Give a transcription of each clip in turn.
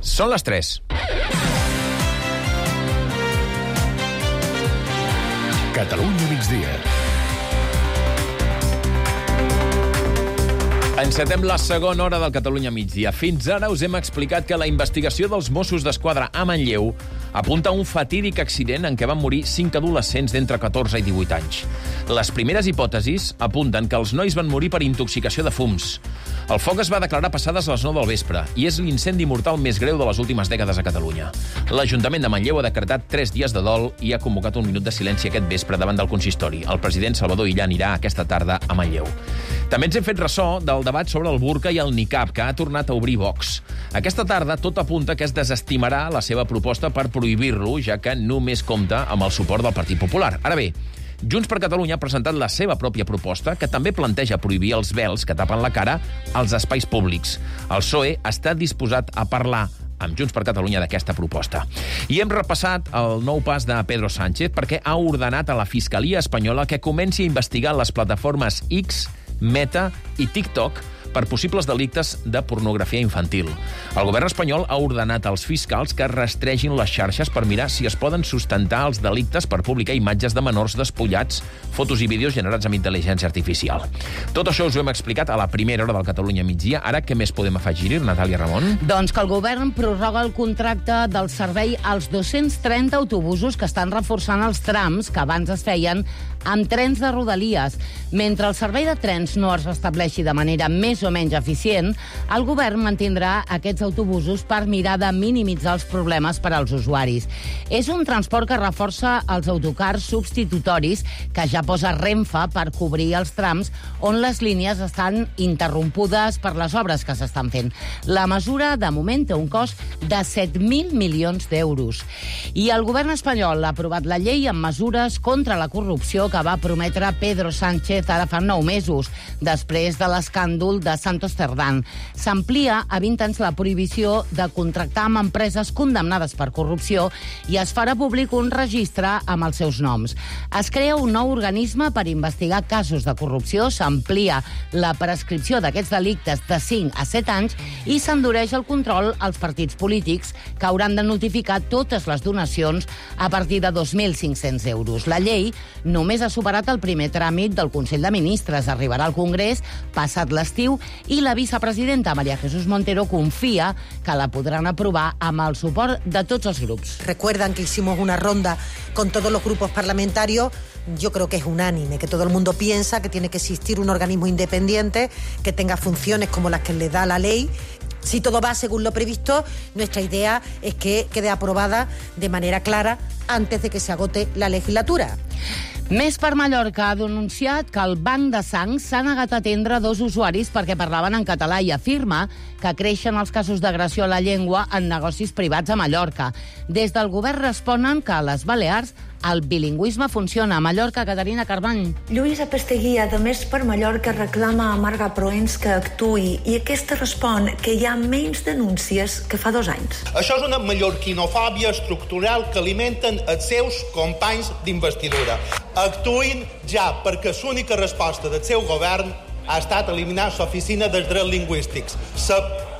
Són les 3. Catalunya migdia. Encetem la segona hora del Catalunya migdia. Fins ara us hem explicat que la investigació dels Mossos d'Esquadra a Manlleu apunta a un fatídic accident en què van morir 5 adolescents d'entre 14 i 18 anys. Les primeres hipòtesis apunten que els nois van morir per intoxicació de fums. El foc es va declarar passades les 9 del vespre i és l'incendi mortal més greu de les últimes dècades a Catalunya. L'Ajuntament de Manlleu ha decretat 3 dies de dol i ha convocat un minut de silenci aquest vespre davant del consistori. El president Salvador Illa anirà aquesta tarda a Manlleu. També ens hem fet ressò del debat sobre el burca i el niqab, que ha tornat a obrir Vox. Aquesta tarda tot apunta que es desestimarà la seva proposta per prohibir-lo, ja que només compta amb el suport del Partit Popular. Ara bé, Junts per Catalunya ha presentat la seva pròpia proposta, que també planteja prohibir els vels que tapen la cara als espais públics. El PSOE està disposat a parlar amb Junts per Catalunya d'aquesta proposta. I hem repassat el nou pas de Pedro Sánchez perquè ha ordenat a la Fiscalia espanyola que comenci a investigar les plataformes X, Meta i TikTok per possibles delictes de pornografia infantil. El govern espanyol ha ordenat als fiscals que rastregin les xarxes per mirar si es poden sustentar els delictes per publicar imatges de menors despullats, fotos i vídeos generats amb intel·ligència artificial. Tot això us ho hem explicat a la primera hora del Catalunya migdia. Ara, què més podem afegir-hi, Natàlia Ramon? Doncs que el govern prorroga el contracte del servei als 230 autobusos que estan reforçant els trams que abans es feien amb trens de Rodalies. Mentre el servei de trens no es restableixi de manera més o menys eficient, el govern mantindrà aquests autobusos per mirar de minimitzar els problemes per als usuaris. És un transport que reforça els autocars substitutoris que ja posa Renfe per cobrir els trams on les línies estan interrompudes per les obres que s'estan fent. La mesura, de moment, té un cost de 7.000 milions d'euros. I el govern espanyol ha aprovat la llei amb mesures contra la corrupció que va prometre Pedro Sánchez ara fa 9 mesos, després de l'escàndol de Santos Cerdán. S'amplia a 20 anys la prohibició de contractar amb empreses condemnades per corrupció i es farà públic un registre amb els seus noms. Es crea un nou organisme per investigar casos de corrupció, s'amplia la prescripció d'aquests delictes de 5 a 7 anys i s'endureix el control als partits polítics que hauran de notificar totes les donacions a partir de 2.500 euros. La llei només ha superat el primer tràmit del Consell de Ministres, arribarà al Congrés passat l'estiu i la vicepresidenta María Jesús Montero confia que la podran aprovar amb el suport de tots els grups. Recuerdan que hicimos una ronda con todos los grupos parlamentarios. Yo creo que es unánime, que todo el mundo piensa que tiene que existir un organismo independiente que tenga funciones como las que le da la ley. Si todo va según lo previsto, nuestra idea es que quede aprobada de manera clara antes de que se agote la legislatura. Més per Mallorca ha denunciat que el Banc de Sang s'ha negat a atendre 2 usuaris perquè parlaven en català i afirma que creixen els casos d'agressió a la llengua en negocis privats a Mallorca. Des del govern responen que a les Balears el bilingüisme funciona. A Mallorca, Caterina Carbany. Lluïsa Pasteguia, de Més per Mallorca, reclama a Marga Proens que actuï i aquesta respon que hi ha menys denúncies que fa 2 anys. Això és una mallorquinofòbia estructural que alimenten els seus companys d'investidura. Actuïn ja, perquè l'única resposta del seu govern ha estat eliminar l'oficina dels drets lingüístics.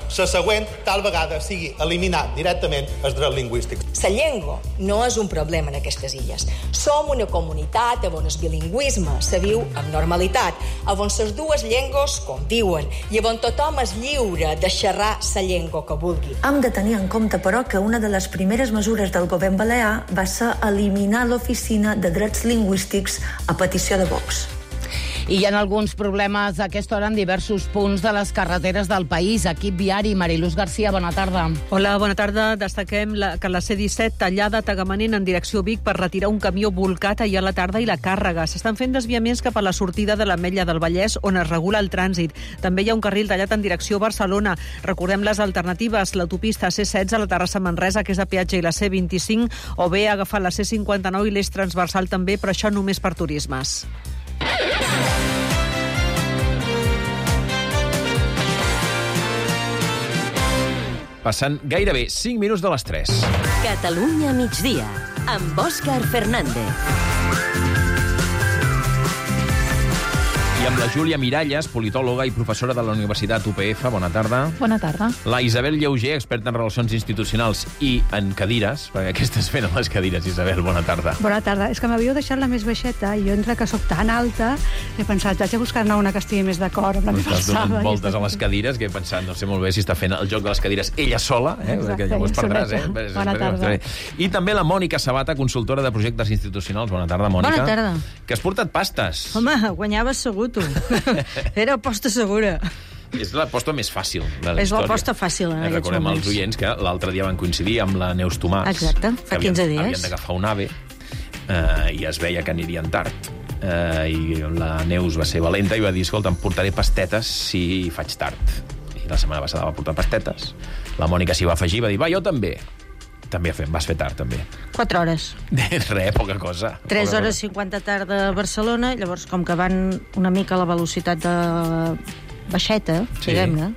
La següent, tal vegada, sigui eliminar directament els drets lingüístics. La llengua no és un problema en aquestes illes. Som una comunitat on el bilingüisme se viu amb normalitat, on les dues llengües conviuen i on tothom és lliure de xerrar la llengua que vulgui. Hem de tenir en compte, però, que una de les primeres mesures del govern balear va ser eliminar l'oficina de drets lingüístics a petició de Vox. I hi ha alguns problemes a aquesta hora en diversos punts de les carreteres del país. Equip viari, Mariluz García, bona tarda. Hola, bona tarda. Destaquem que la C-17 tallada a Tagamanent en direcció Vic per retirar un camió volcat ahir a la tarda i la càrrega. S'estan fent desviaments cap a la sortida de l'Ametlla del Vallès, on es regula el trànsit. També hi ha un carril tallat en direcció Barcelona. Recordem les alternatives, l'autopista C-16 a la Terrassa Manresa, que és de peatge, i la C-25, o bé agafar la C-59 i l'eix transversal també, però això només per turismes. Passant gairebé 5 minuts de les 3. Catalunya migdia, amb Òscar Fernández. I amb la Júlia Miralles, politòloga i professora de la Universitat UPF. Bona tarda. Bona tarda. La Isabel Lleuger, experta en relacions institucionals i en cadires, perquè què estàs fent amb les cadires, Isabel? Bona tarda. Bona tarda. És que m'havíeu deixat la més baixeta i jo, entre que sóc tan alta, he pensat, haig de buscar-ne una que estigui més d'acord amb la meva alçada. Estàs donant voltes i... a les cadires, que he pensat, no sé molt bé si està fent el joc de les cadires ella sola, Exacte, perquè llavors perdràs, Bona tarda. I també la Mònica Sabata, consultora de projectes institucionals. Bona tarda, Mònica. Bona tarda. Que has portat pastes. Home, guanyaves segur, tu. Era aposta segura. És l'aposta més fàcil de la És història. l'aposta fàcil en aquests Recordem moments. als oients que l'altre dia van coincidir amb la Neus Tomàs. Exacte, fa 15 dies. Havien d'agafar un AVE i es veia que anirien tard. I la Neus va ser valenta i va dir, escolta, em portaré pastetes si faig tard. I la setmana passada va portar pastetes. La Mònica s'hi va afegir, va dir, va, jo també. També vas fer tard, també. 4 hores. Res, poca cosa. 3 hores 50 tard a Barcelona, llavors, com que van una mica a la velocitat de baixeta, diguem-ne,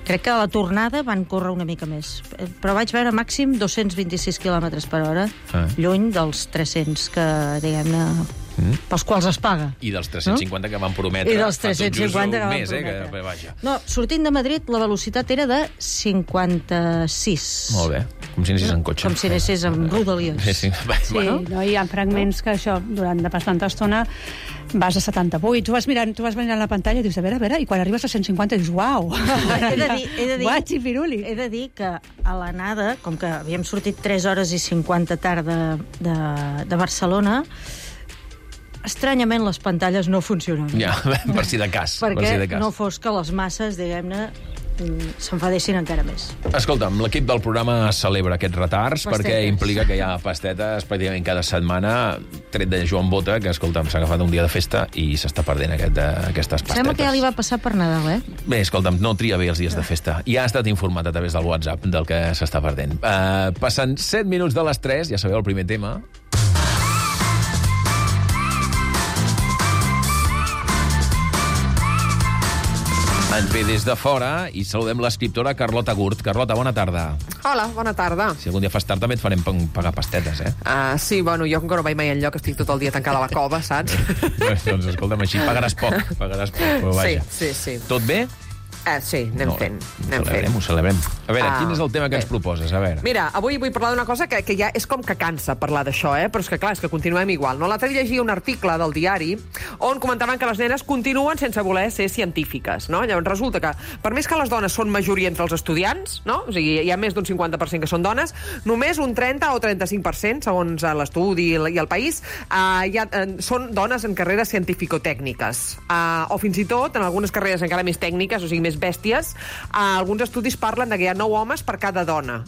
crec que a la tornada van córrer una mica més. Però vaig veure màxim 226 km per hora, lluny dels 300 que, diguem-ne, pels quals es paga. I dels 350 que van prometre. I dels 350 que van prometre. prometre. No, sortint de Madrid, la velocitat era de 56. Molt bé. Com si anessis en cotxe. Com si anessis amb rodalies. Sí. Bueno. No, hi ha fragments que això, durant de bastanta estona, vas a 78. Tu vas mirant la pantalla i dius, a veure, i quan arribes a 150 dius, uau! Guatxi piruli. He de dir que a l'anada, com que havíem sortit 3 hores i 50 tard de Barcelona, estranyament les pantalles no funcionaven. Ja, per si de cas. Perquè no fos que les masses, diguem-ne, s'enfadessin encara més. Escolta'm, l'equip del programa celebra aquests retards perquè implica que hi ha pastetes pràcticament cada setmana, tret de Joan Bota, que, escolta'm, s'ha agafat un dia de festa i s'està perdent aquestes pastetes. Sembla que ja li va passar per Nadal, Bé, escolta'm, no tria bé els dies de festa. Ja ha estat informat a través del WhatsApp del que s'està perdent. Passen 7 minuts de les 3, ja sabeu el primer tema. Ens ve des de fora i saludem l'escriptora Carlota Gurt. Carlota, bona tarda. Hola, bona tarda. Si algun dia fas tard també et farem pagar pastetes, Sí, bueno, jo com que no vaig mai enlloc estic tot el dia tancada a la cova, saps? Doncs escolta'm, així pagaràs poc, però vaja. Sí. Tot bé? Sí, anem fent. Ho celebrem. A veure, quin és el tema que ens proposes? A veure. Mira, avui vull parlar d'una cosa que ja és com que cansa parlar d'això, però és que, clar, és que continuem igual. No? L'altre dia llegia un article del diari on comentaven que les nenes continuen sense voler ser científiques, no? Llavors resulta que, per més que les dones són majoria entre els estudiants, no? O sigui, hi ha més d'un 50% que són dones, només un 30 o 35%, segons l'estudi i el país, són dones en carreres científico-tècniques. O fins i tot, en algunes carreres encara més tècniques, o sigui, més bèsties, alguns estudis parlen de que hi ha 9 homes per cada dona.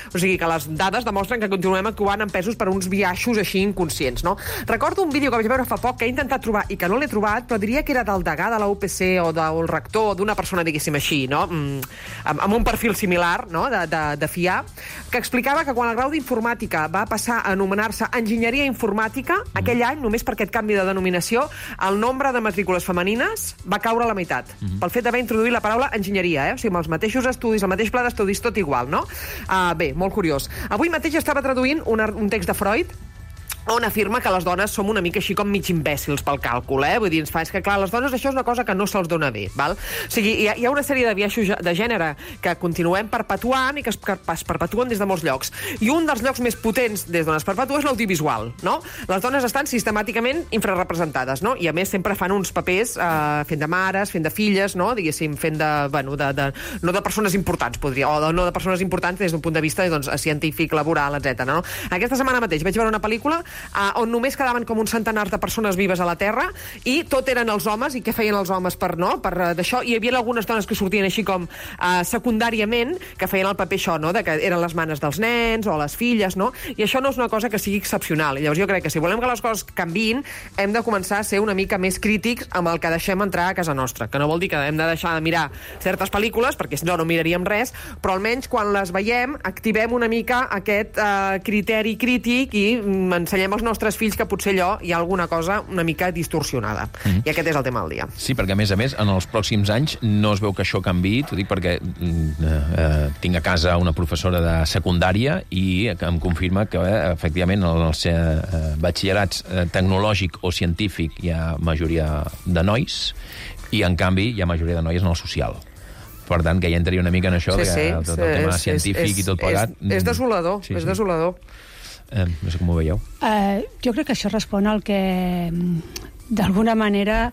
O sigui que les dades demostren que continuem actuant en pesos per uns biaixos així inconscients, no? Recordo un vídeo que vaig veure fa poc que he intentat trobar i que no l'he trobat, però diria que era del degà de la UPC o del rector d'una persona, diguéssim així, no? Amb un perfil similar, no? De fiar, que explicava que quan el grau d'informàtica va passar a anomenar-se enginyeria informàtica, aquell any, només per aquest canvi de denominació, el nombre de matrícules femenines va caure a la meitat, pel fet d'haver introduït la paraula enginyeria, o sigui, amb els mateixos estudis, el mateix pla d'estudis, tot igual, no? Bé, molt curiós. Avui mateix estava traduint un text de Freud on afirma que les dones som una mica així com mig imbècils pel càlcul, Vull dir, és que, clar, les dones això és una cosa que no se'ls dona bé, val? O sigui, hi ha una sèrie de biaixos de gènere que continuem perpetuant i que es perpetuen des de molts llocs. I un dels llocs més potents des d'on es perpetua és l'audiovisual, no? Les dones estan sistemàticament infrarrepresentades, no? I a més sempre fan uns papers fent de mares, fent de filles, no? Diguéssim, fent no de persones importants, podria, o no de persones importants des d'un punt de vista científic, laboral, etc. No? Aquesta setmana mateix vaig veure una pel·lícula on només quedaven com un centenar de persones vives a la Terra i tot eren els homes, i què feien els homes per d'això, i hi havia algunes dones que sortien així com secundàriament, que feien el paper això, no? De que eren les manes dels nens o les filles, no? I això no és una cosa que sigui excepcional. Llavors jo crec que si volem que les coses canviïn, hem de començar a ser una mica més crítics amb el que deixem entrar a casa nostra, que no vol dir que hem de deixar de mirar certes pel·lícules, perquè si no miraríem res, però almenys quan les veiem activem una mica aquest criteri crític i ensenyem ensenyem als nostres fills que potser allò hi ha alguna cosa una mica distorsionada. I aquest és el tema del dia. Sí, perquè a més, en els pròxims anys no es veu que això canviï. T'ho dic perquè tinc a casa una professora de secundària i em confirma que, efectivament, en els batxillerats tecnològic o científic hi ha majoria de nois i, en canvi, hi ha majoria de noies en el social. Per tant, que ja entraria una mica en això, tot el tema científic i tot plegat. És desolador, és desolador. No sé com ho veieu. Jo crec que això respon al que, d'alguna manera,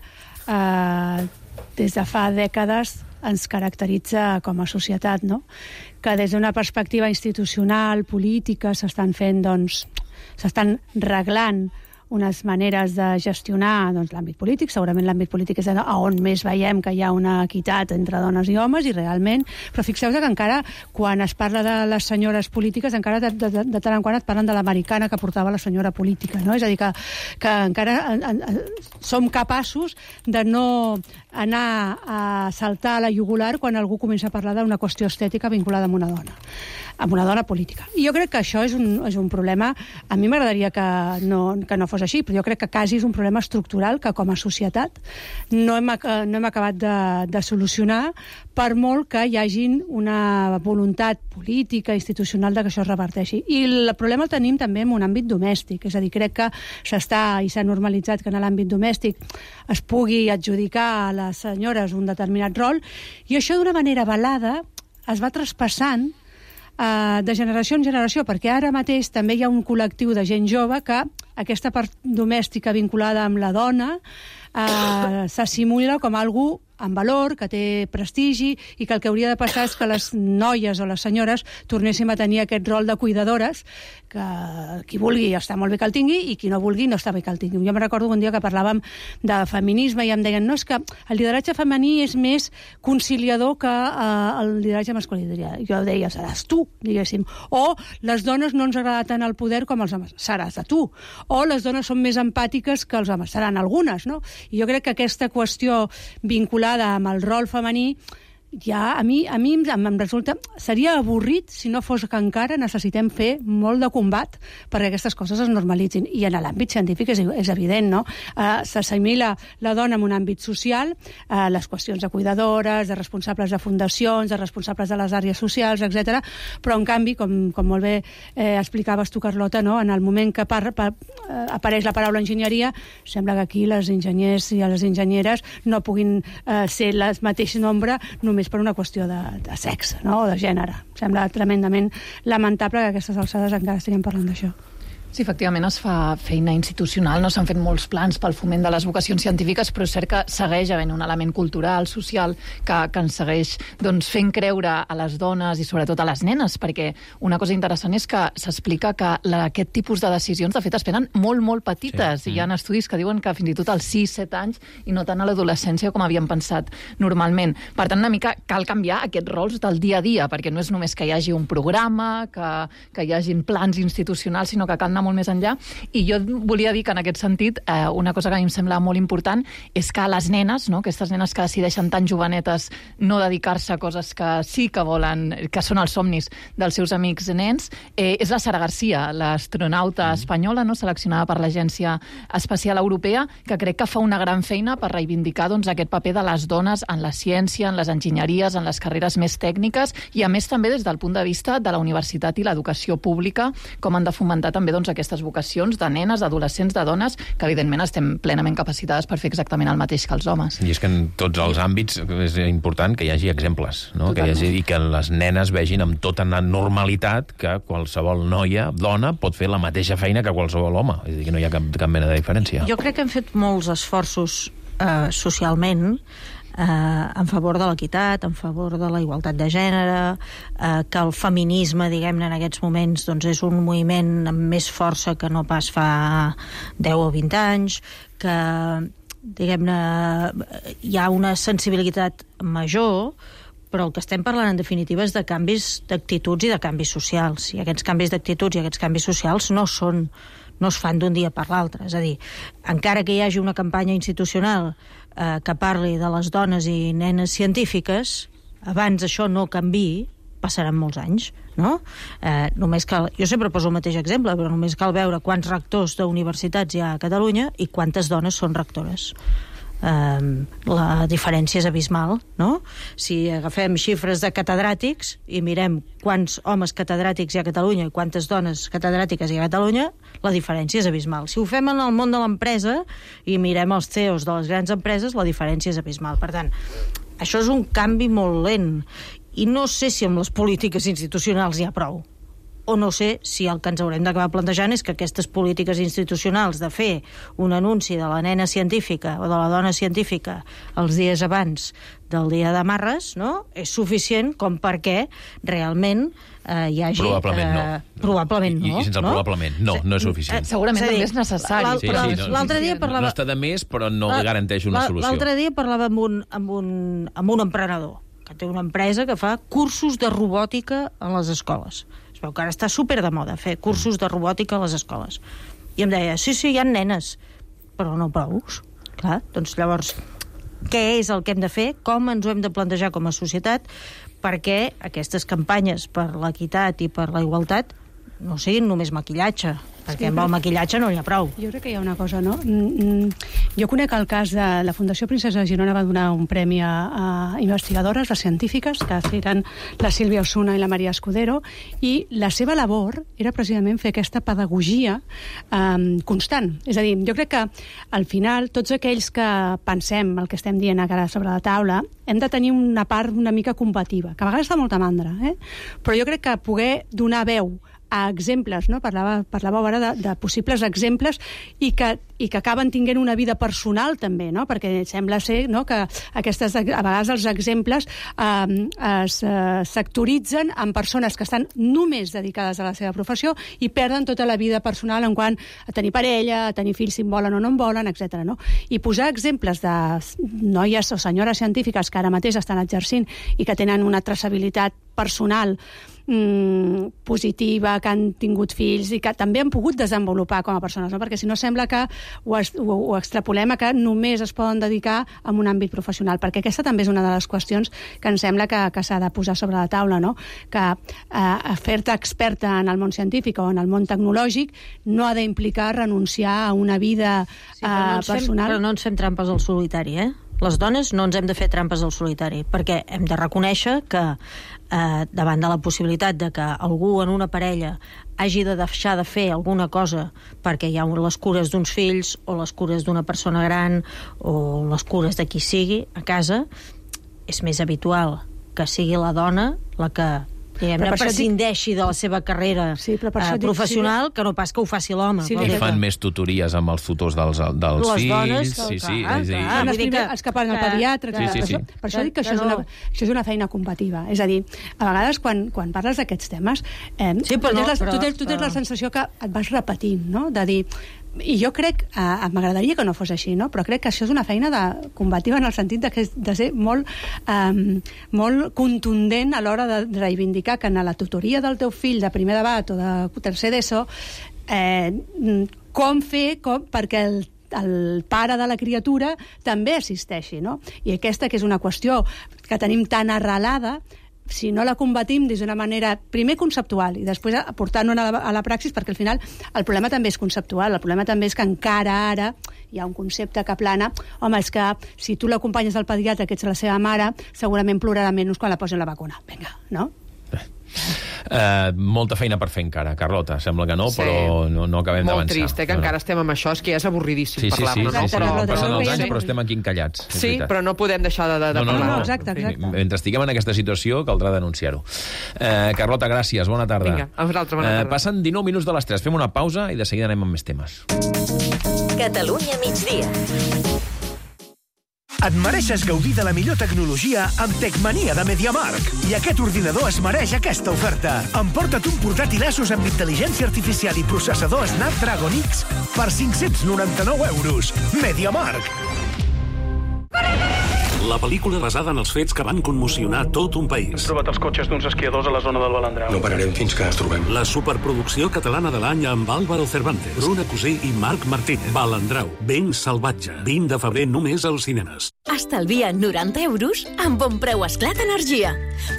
des de fa dècades ens caracteritza com a societat, no? Que des d'una perspectiva institucional, política, s'estan reglant unes maneres de gestionar l'àmbit polític. Segurament l'àmbit polític és on més veiem que hi ha una equitat entre dones i homes, i realment... Però fixeu-vos que encara, quan es parla de les senyores polítiques, encara de tant en quant et parlen de l'americana que portava la senyora política, no? És a dir, que encara som capaços de no anar a saltar a la jugular quan algú comença a parlar d'una qüestió estètica vinculada amb una dona política. I jo crec que això és un problema. A mi m'agradaria que no fos així, però jo crec que quasi és un problema estructural que com a societat no hem acabat de solucionar, per molt que hi hagin una voluntat política, institucional, de que això es reverteixi. I el problema el tenim també en un àmbit domèstic, és a dir, crec que s'ha normalitzat que en l'àmbit domèstic es pugui adjudicar a les senyores un determinat rol, i això d'una manera velada es va traspassant de generació en generació, perquè ara mateix també hi ha un col·lectiu de gent jove que aquesta part domèstica vinculada amb la dona s'assimila com algú amb valor, que té prestigi, i que el que hauria de passar és que les noies o les senyores tornéssim a tenir aquest rol de cuidadores, que qui vulgui està molt bé que el tingui i qui no vulgui no està bé que el tingui. Jo me recordo un dia que parlàvem de feminisme i em deien, no, és que el lideratge femení és més conciliador que el lideratge masculí. Jo deia, seràs tu, diguéssim. O les dones no ens agrada tant el poder com els homes, seràs de tu. O les dones són més empàtiques que els homes, seran algunes, no? I jo crec que aquesta qüestió vinculada amb el rol femení ja a mi em resulta... Seria avorrit si no fos que encara necessitem fer molt de combat perquè aquestes coses es normalitzin. I en l'àmbit científic és evident, no? S'assimila la dona en un àmbit social, les qüestions de cuidadores, de responsables de fundacions, de responsables de les àrees socials, etc. Però, en canvi, com molt bé explicaves tu, Carlota, no? En el moment que apareix la paraula enginyeria, sembla que aquí les enginyers i les enginyeres no puguin ser el mateix nombre només per una qüestió de sexe, no? O de gènere. Sembla tremendament lamentable que a aquestes alçades encara estiguem parlant d'això. Sí, efectivament es fa feina institucional, no s'han fet molts plans pel foment de les vocacions científiques, però és cert que segueix havent un element cultural, social, que ens segueix fent creure a les dones i sobretot a les nenes, perquè una cosa interessant és que s'explica que aquest tipus de decisions, de fet, es prenen molt, molt petites, i hi ha estudis que diuen que fins i tot als 6-7 anys i no tant a l'adolescència com havíem pensat normalment. Per tant, una mica cal canviar aquests rols del dia a dia, perquè no és només que hi hagi un programa, que hi hagin plans institucionals, sinó que cal anar molt més enllà. I jo volia dir que en aquest sentit una cosa que a mi em sembla molt important és que les nenes, no? Aquestes nenes que decideixen tan jovenetes no dedicar-se a coses que sí que volen, que són els somnis dels seus amics nens, és la Sara García, l'astronauta espanyola, no? Seleccionada per l'Agència Espacial Europea, que crec que fa una gran feina per reivindicar aquest paper de les dones en la ciència, en les enginyeries, en les carreres més tècniques, i a més també des del punt de vista de la universitat i l'educació pública, com han de fomentar també aquestes vocacions de nenes, d'adolescents, de dones, que evidentment estem plenament capacitades per fer exactament el mateix que els homes. I és que en tots els àmbits és important que hi hagi exemples, no? Que hi hagi, i que les nenes vegin amb tota normalitat que qualsevol noia, dona, pot fer la mateixa feina que qualsevol home. És a dir, que no hi ha cap mena de diferència. Jo crec que hem fet molts esforços socialment en favor de l'equitat, en favor de la igualtat de gènere, que el feminisme, diguem-ne, en aquests moments és un moviment amb més força que no pas fa 10 o 20 anys, que, diguem-ne, hi ha una sensibilitat major, però el que estem parlant, en definitiva, és de canvis d'actituds i de canvis socials. I aquests canvis d'actituds i aquests canvis socials no es fan d'un dia per l'altre. És a dir, encara que hi hagi una campanya institucional que parli de les dones i nenes científiques, abans això no canviï, passaran molts anys, no? Només cal, jo sempre poso el mateix exemple, però només cal veure quants rectors d'universitats hi ha a Catalunya i quantes dones són rectores. La diferència és abismal, no? Si agafem xifres de catedràtics i mirem quants homes catedràtics hi ha a Catalunya i quantes dones catedràtiques hi ha a Catalunya, la diferència és abismal. Si ho fem en el món de l'empresa i mirem els CEOs de les grans empreses, la diferència és abismal. Per tant, això és un canvi molt lent i no sé si amb les polítiques institucionals hi ha prou. O no sé si el que ens haurem d'acabar plantejant és que aquestes polítiques institucionals de fer un anunci de la nena científica o de la dona científica els dies abans del dia de Marres, no?, és suficient com perquè realment hi hagi... Probablement no. Probablement no. I sense el probablement, no és suficient. Segurament també és necessari. L'altre dia parlava... No està de més, però no garanteix una solució. L'altre dia parlava amb un emprenedor que té una empresa que fa cursos de robòtica a les escoles. Es veu que ara està super de moda fer cursos de robòtica a les escoles. I em deia, sí, hi ha nenes, però no prous. Clar, doncs llavors, què és el que hem de fer? Com ens ho hem de plantejar com a societat perquè aquestes campanyes per l'equitat i per la igualtat no siguin només maquillatge, perquè amb el maquillatge no n'hi ha prou. Jo crec que hi ha una cosa, no? Jo conec el cas de la Fundació Princesa de Girona va donar un premi a investigadores, a científiques, que eren la Sílvia Osuna i la Maria Escudero, i la seva labor era precisament fer aquesta pedagogia constant. És a dir, jo crec que al final tots aquells que pensem el que estem dient ara sobre la taula hem de tenir una part una mica combativa, que a vegades fa molta mandra, però jo crec que poder donar veu a exemples, no? Parlàveu ara de possibles exemples i que acaben tinguent una vida personal també, no? Perquè sembla ser, no, que a vegades els exemples es sectoritzen en persones que estan només dedicades a la seva professió i perden tota la vida personal en quant a tenir parella, a tenir fills si en volen o no en volen, etc. No? I posar exemples de noies o senyores científiques que ara mateix estan exercint i que tenen una traçabilitat personal positiva, que han tingut fills i que també han pogut desenvolupar com a persones, no? Perquè si no sembla que ho extrapolem a que només es poden dedicar a un àmbit professional, perquè aquesta també és una de les qüestions que em sembla que s'ha de posar sobre la taula, no? Que fer-te experta en el món científic o en el món tecnològic no ha d'implicar renunciar a una vida personal. Però no ens fem trampes al solitari, Les dones no ens hem de fer trampes al solitari, perquè hem de reconèixer que davant de la possibilitat de que algú en una parella hagi de deixar de fer alguna cosa perquè hi ha les cures d'uns fills o les cures d'una persona gran o les cures de qui sigui a casa, és més habitual que sigui la dona la que prescindeixi de la seva carrera professional que no pas que ho faci l'home. I fan més tutories amb els tutors dels fills. Els que parlen al pediatre. Per això dic que això és una feina combativa. És a dir, a vegades quan parles d'aquests temes tu tens la sensació que et vas repetint, no? De dir... I jo crec, m'agradaria que no fos així, no? Però crec que això és una feina combativa en el sentit de ser molt contundent a l'hora de reivindicar que en la tutoria del teu fill de primer debat o de tercer d'ESO com fer perquè el pare de la criatura també assisteixi, no? I aquesta que és una qüestió que tenim tan arrelada, si no la combatim des d'una manera primer conceptual i després aportant-ho a la praxis, perquè al final el problema també és conceptual, el problema també és que encara ara hi ha un concepte que plana, home, és que si tu l'acompanyes al pediatre, que ets la seva mare, segurament plorarà menys quan la posin la vacuna. Vinga, no? Molta feina per fer encara, Carlota. Sembla que no, però no acabem d'avançar. Molt trist, que encara estem amb això. És que ja és avorridíssim parlar-ne. Passen els anys, però estem aquí encallats. Sí, però no podem deixar de parlar. No, exacte. Mentre estiguem en aquesta situació, caldrà denunciar-ho. Carlota, gràcies. Bona tarda. Vinga, a vosaltres, bona tarda. Passen 19 minuts de les 3. Fem una pausa i de seguida anem amb més temes. Catalunya migdia. Et mereixes gaudir de la millor tecnologia amb Tecmania de MediaMarkt. I aquest ordinador es mereix aquesta oferta. Emporta't un portàtil Asus amb intel·ligència artificial i processador Snapdragon X per 599 euros. MediaMarkt. La pel·lícula basada en els fets que van commocionar tot un país. Hem trobat els cotxes d'uns esquiadors a la zona del Balandrau. No pararem fins que els trobem. La superproducció catalana de l'any amb Álvaro Cervantes, Bruna Cusí i Marc Martínez. Balandrau, ben salvatge. 20 de febrer només als cinemes. Estalvia 90 € amb Bon Preu Esclat Energia.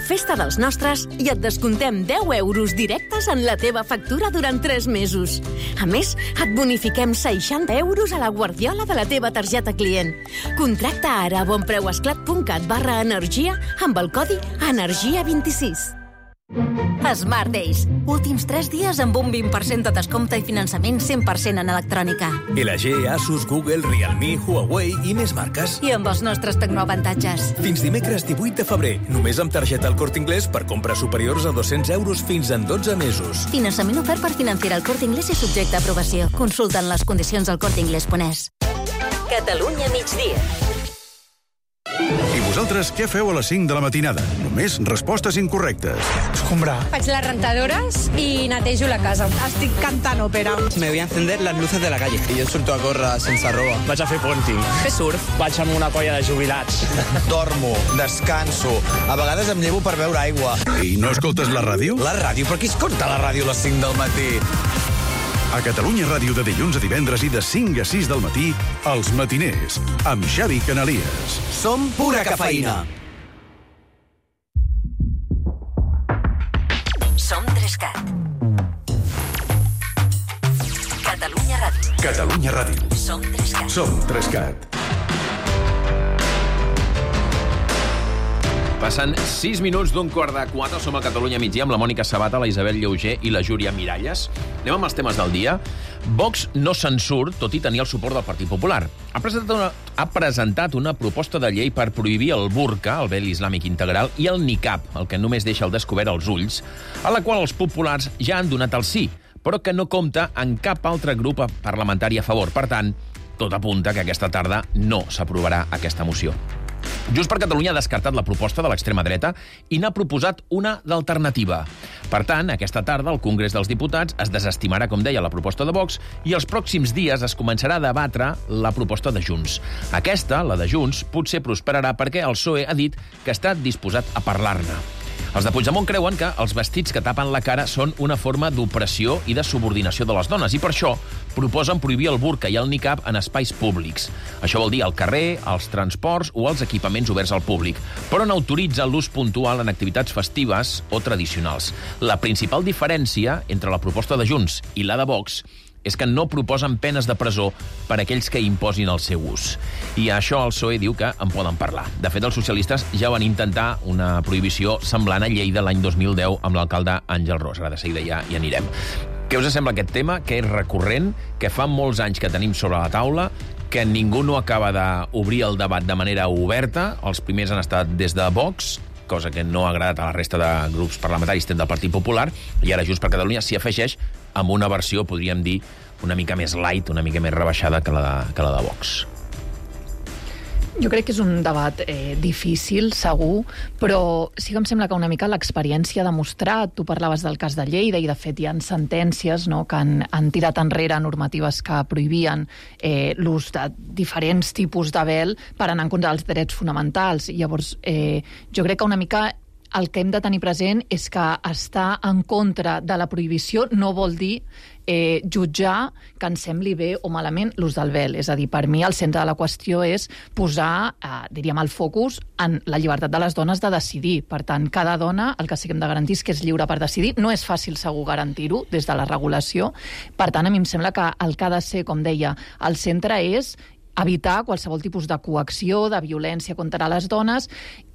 Festa dels nostres i et descontem 10 € directes en la teva factura durant 3 mesos. A més, et bonifiquem 60 € a la guardiola de la teva targeta client. Contracta ara a bonpreuesclat.cat/energia amb el codi ENERGIA26. Smart Days. Últims 3 dies amb un 20% de descompte i finançament 100% en electrònica. LG, Asus, Google, Realme, Huawei i més marques. I amb els nostres tecnoavantatges. Fins dimecres 18 de febrer, només amb targeta El Corte Inglés per compres superiors a 200 € fins en 12 mesos. Finançament ofert per Financiera El Corte Inglés i subjecte a aprovació. Consulten les condicions al corteinglés.es. Catalunya migdia. I vosaltres què feu a les 5 de la matinada? Només respostes incorrectes. Escombrar. Faig les rentadores i netejo la casa. Estic cantant òpera. Me voy a encender las luces de la calle. I jo surto a córrer sense roba. Vaig a fer ponting. Fer surf. Vaig amb una colla de jubilats. Dormo, descanso. A vegades em llevo per beure aigua. I no escoltes la ràdio? La ràdio? Per qui escolta la ràdio a les 5 del matí? A Catalunya Ràdio de dilluns a divendres i de 5 a 6 del matí, Els Matiners, amb Xavi Canalies. Som pura cafeïna. Som 3CAT. Catalunya Ràdio. Catalunya Ràdio. Som 3CAT. Som 3CAT. Passen 6 minuts d'un 3:15. Som a Catalunya migdia amb la Mònica Sabata, la Isabel Lleuger i la Júlia Miralles. Anem amb els temes del dia. Vox no se'n surt, tot i tenir el suport del Partit Popular. Ha presentat una proposta de llei per prohibir el burca, el vel islàmic integral, i el niqab, el que només deixa al descobert els ulls, a la qual els populars ja han donat el sí, però que no compta en cap altre grup parlamentari a favor. Per tant, tot apunta que aquesta tarda no s'aprovarà aquesta moció. Junts per Catalunya ha descartat la proposta de l'extrema dreta i n'ha proposat una d'alternativa. Per tant, aquesta tarda el Congrés dels Diputats es desestimarà, com deia, la proposta de Vox i els pròxims dies es començarà a debatre la proposta de Junts. Aquesta, la de Junts, potser prosperarà perquè el PSOE ha dit que està disposat a parlar-ne. Els de Puigdemont creuen que els vestits que tapen la cara són una forma d'opressió i de subordinació de les dones i per això proposen prohibir el burca i el niqab en espais públics. Això vol dir al carrer, als transports o als equipaments oberts al públic, però n'autoritza l'ús puntual en activitats festives o tradicionals. La principal diferència entre la proposta de Junts i la de Vox és que no proposen penes de presó per a aquells que imposin el seu ús. I això el PSOE diu que en poden parlar. De fet, els socialistes ja van intentar una prohibició semblant a Lleida l'any 2010 amb l'alcalde Àngel Ros. Ara de seguida ja hi anirem. Què us sembla aquest tema, que és recurrent, que fa molts anys que tenim sobre la taula, que ningú no acaba d'obrir el debat de manera oberta? Els primers han estat des de Vox, cosa que no ha agradat a la resta de grups parlamentaris del Partit Popular, i ara Junts per Catalunya s'hi afegeix amb una versió, podríem dir, una mica més light, una mica més rebaixada que la de Vox. Jo crec que és un debat difícil, segur, però sí que em sembla que una mica l'experiència ha demostrat, tu parlaves del cas de Lleida i de fet hi ha sentències, no, que han tirat enrere normatives que prohibien l'ús de diferents tipus de vel per anar en contra dels drets fonamentals. Llavors, jo crec que una mica el que hem de tenir present és que estar en contra de la prohibició no vol dir jutjar que ens sembli bé o malament l'ús del vel. És a dir, per mi el centre de la qüestió és posar, diríem, el focus en la llibertat de les dones de decidir. Per tant, cada dona, el que sí que hem de garantir és que és lliure per decidir. No és fàcil, segur, garantir-ho des de la regulació. Per tant, a mi em sembla que el que ha de ser, com deia, el centre és evitar qualsevol tipus de coacció, de violència contra les dones,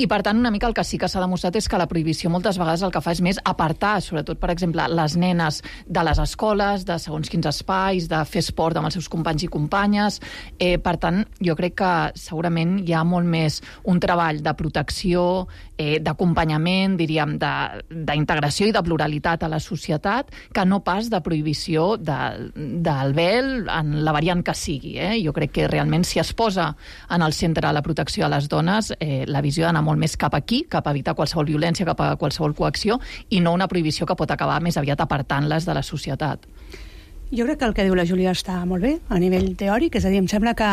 i per tant una mica el que sí que s'ha demostrat és que la prohibició moltes vegades el que fa és més apartar, sobretot, per exemple, les nenes de les escoles, de segons quins espais, de fer esport amb els seus companys i companyes. Per tant, jo crec que segurament hi ha molt més un treball de protecció, d'acompanyament, diríem, d'integració i de pluralitat a la societat, que no pas de prohibició del vel en la variant que sigui. Jo crec que realment si es posa en el centre la protecció a les dones, la visió ha d'anar molt més cap aquí, cap a evitar qualsevol violència, cap a qualsevol coacció, i no una prohibició que pot acabar més aviat apartant-les de la societat. Jo crec que el que diu la Júlia està molt bé a nivell teòric, és a dir, em sembla que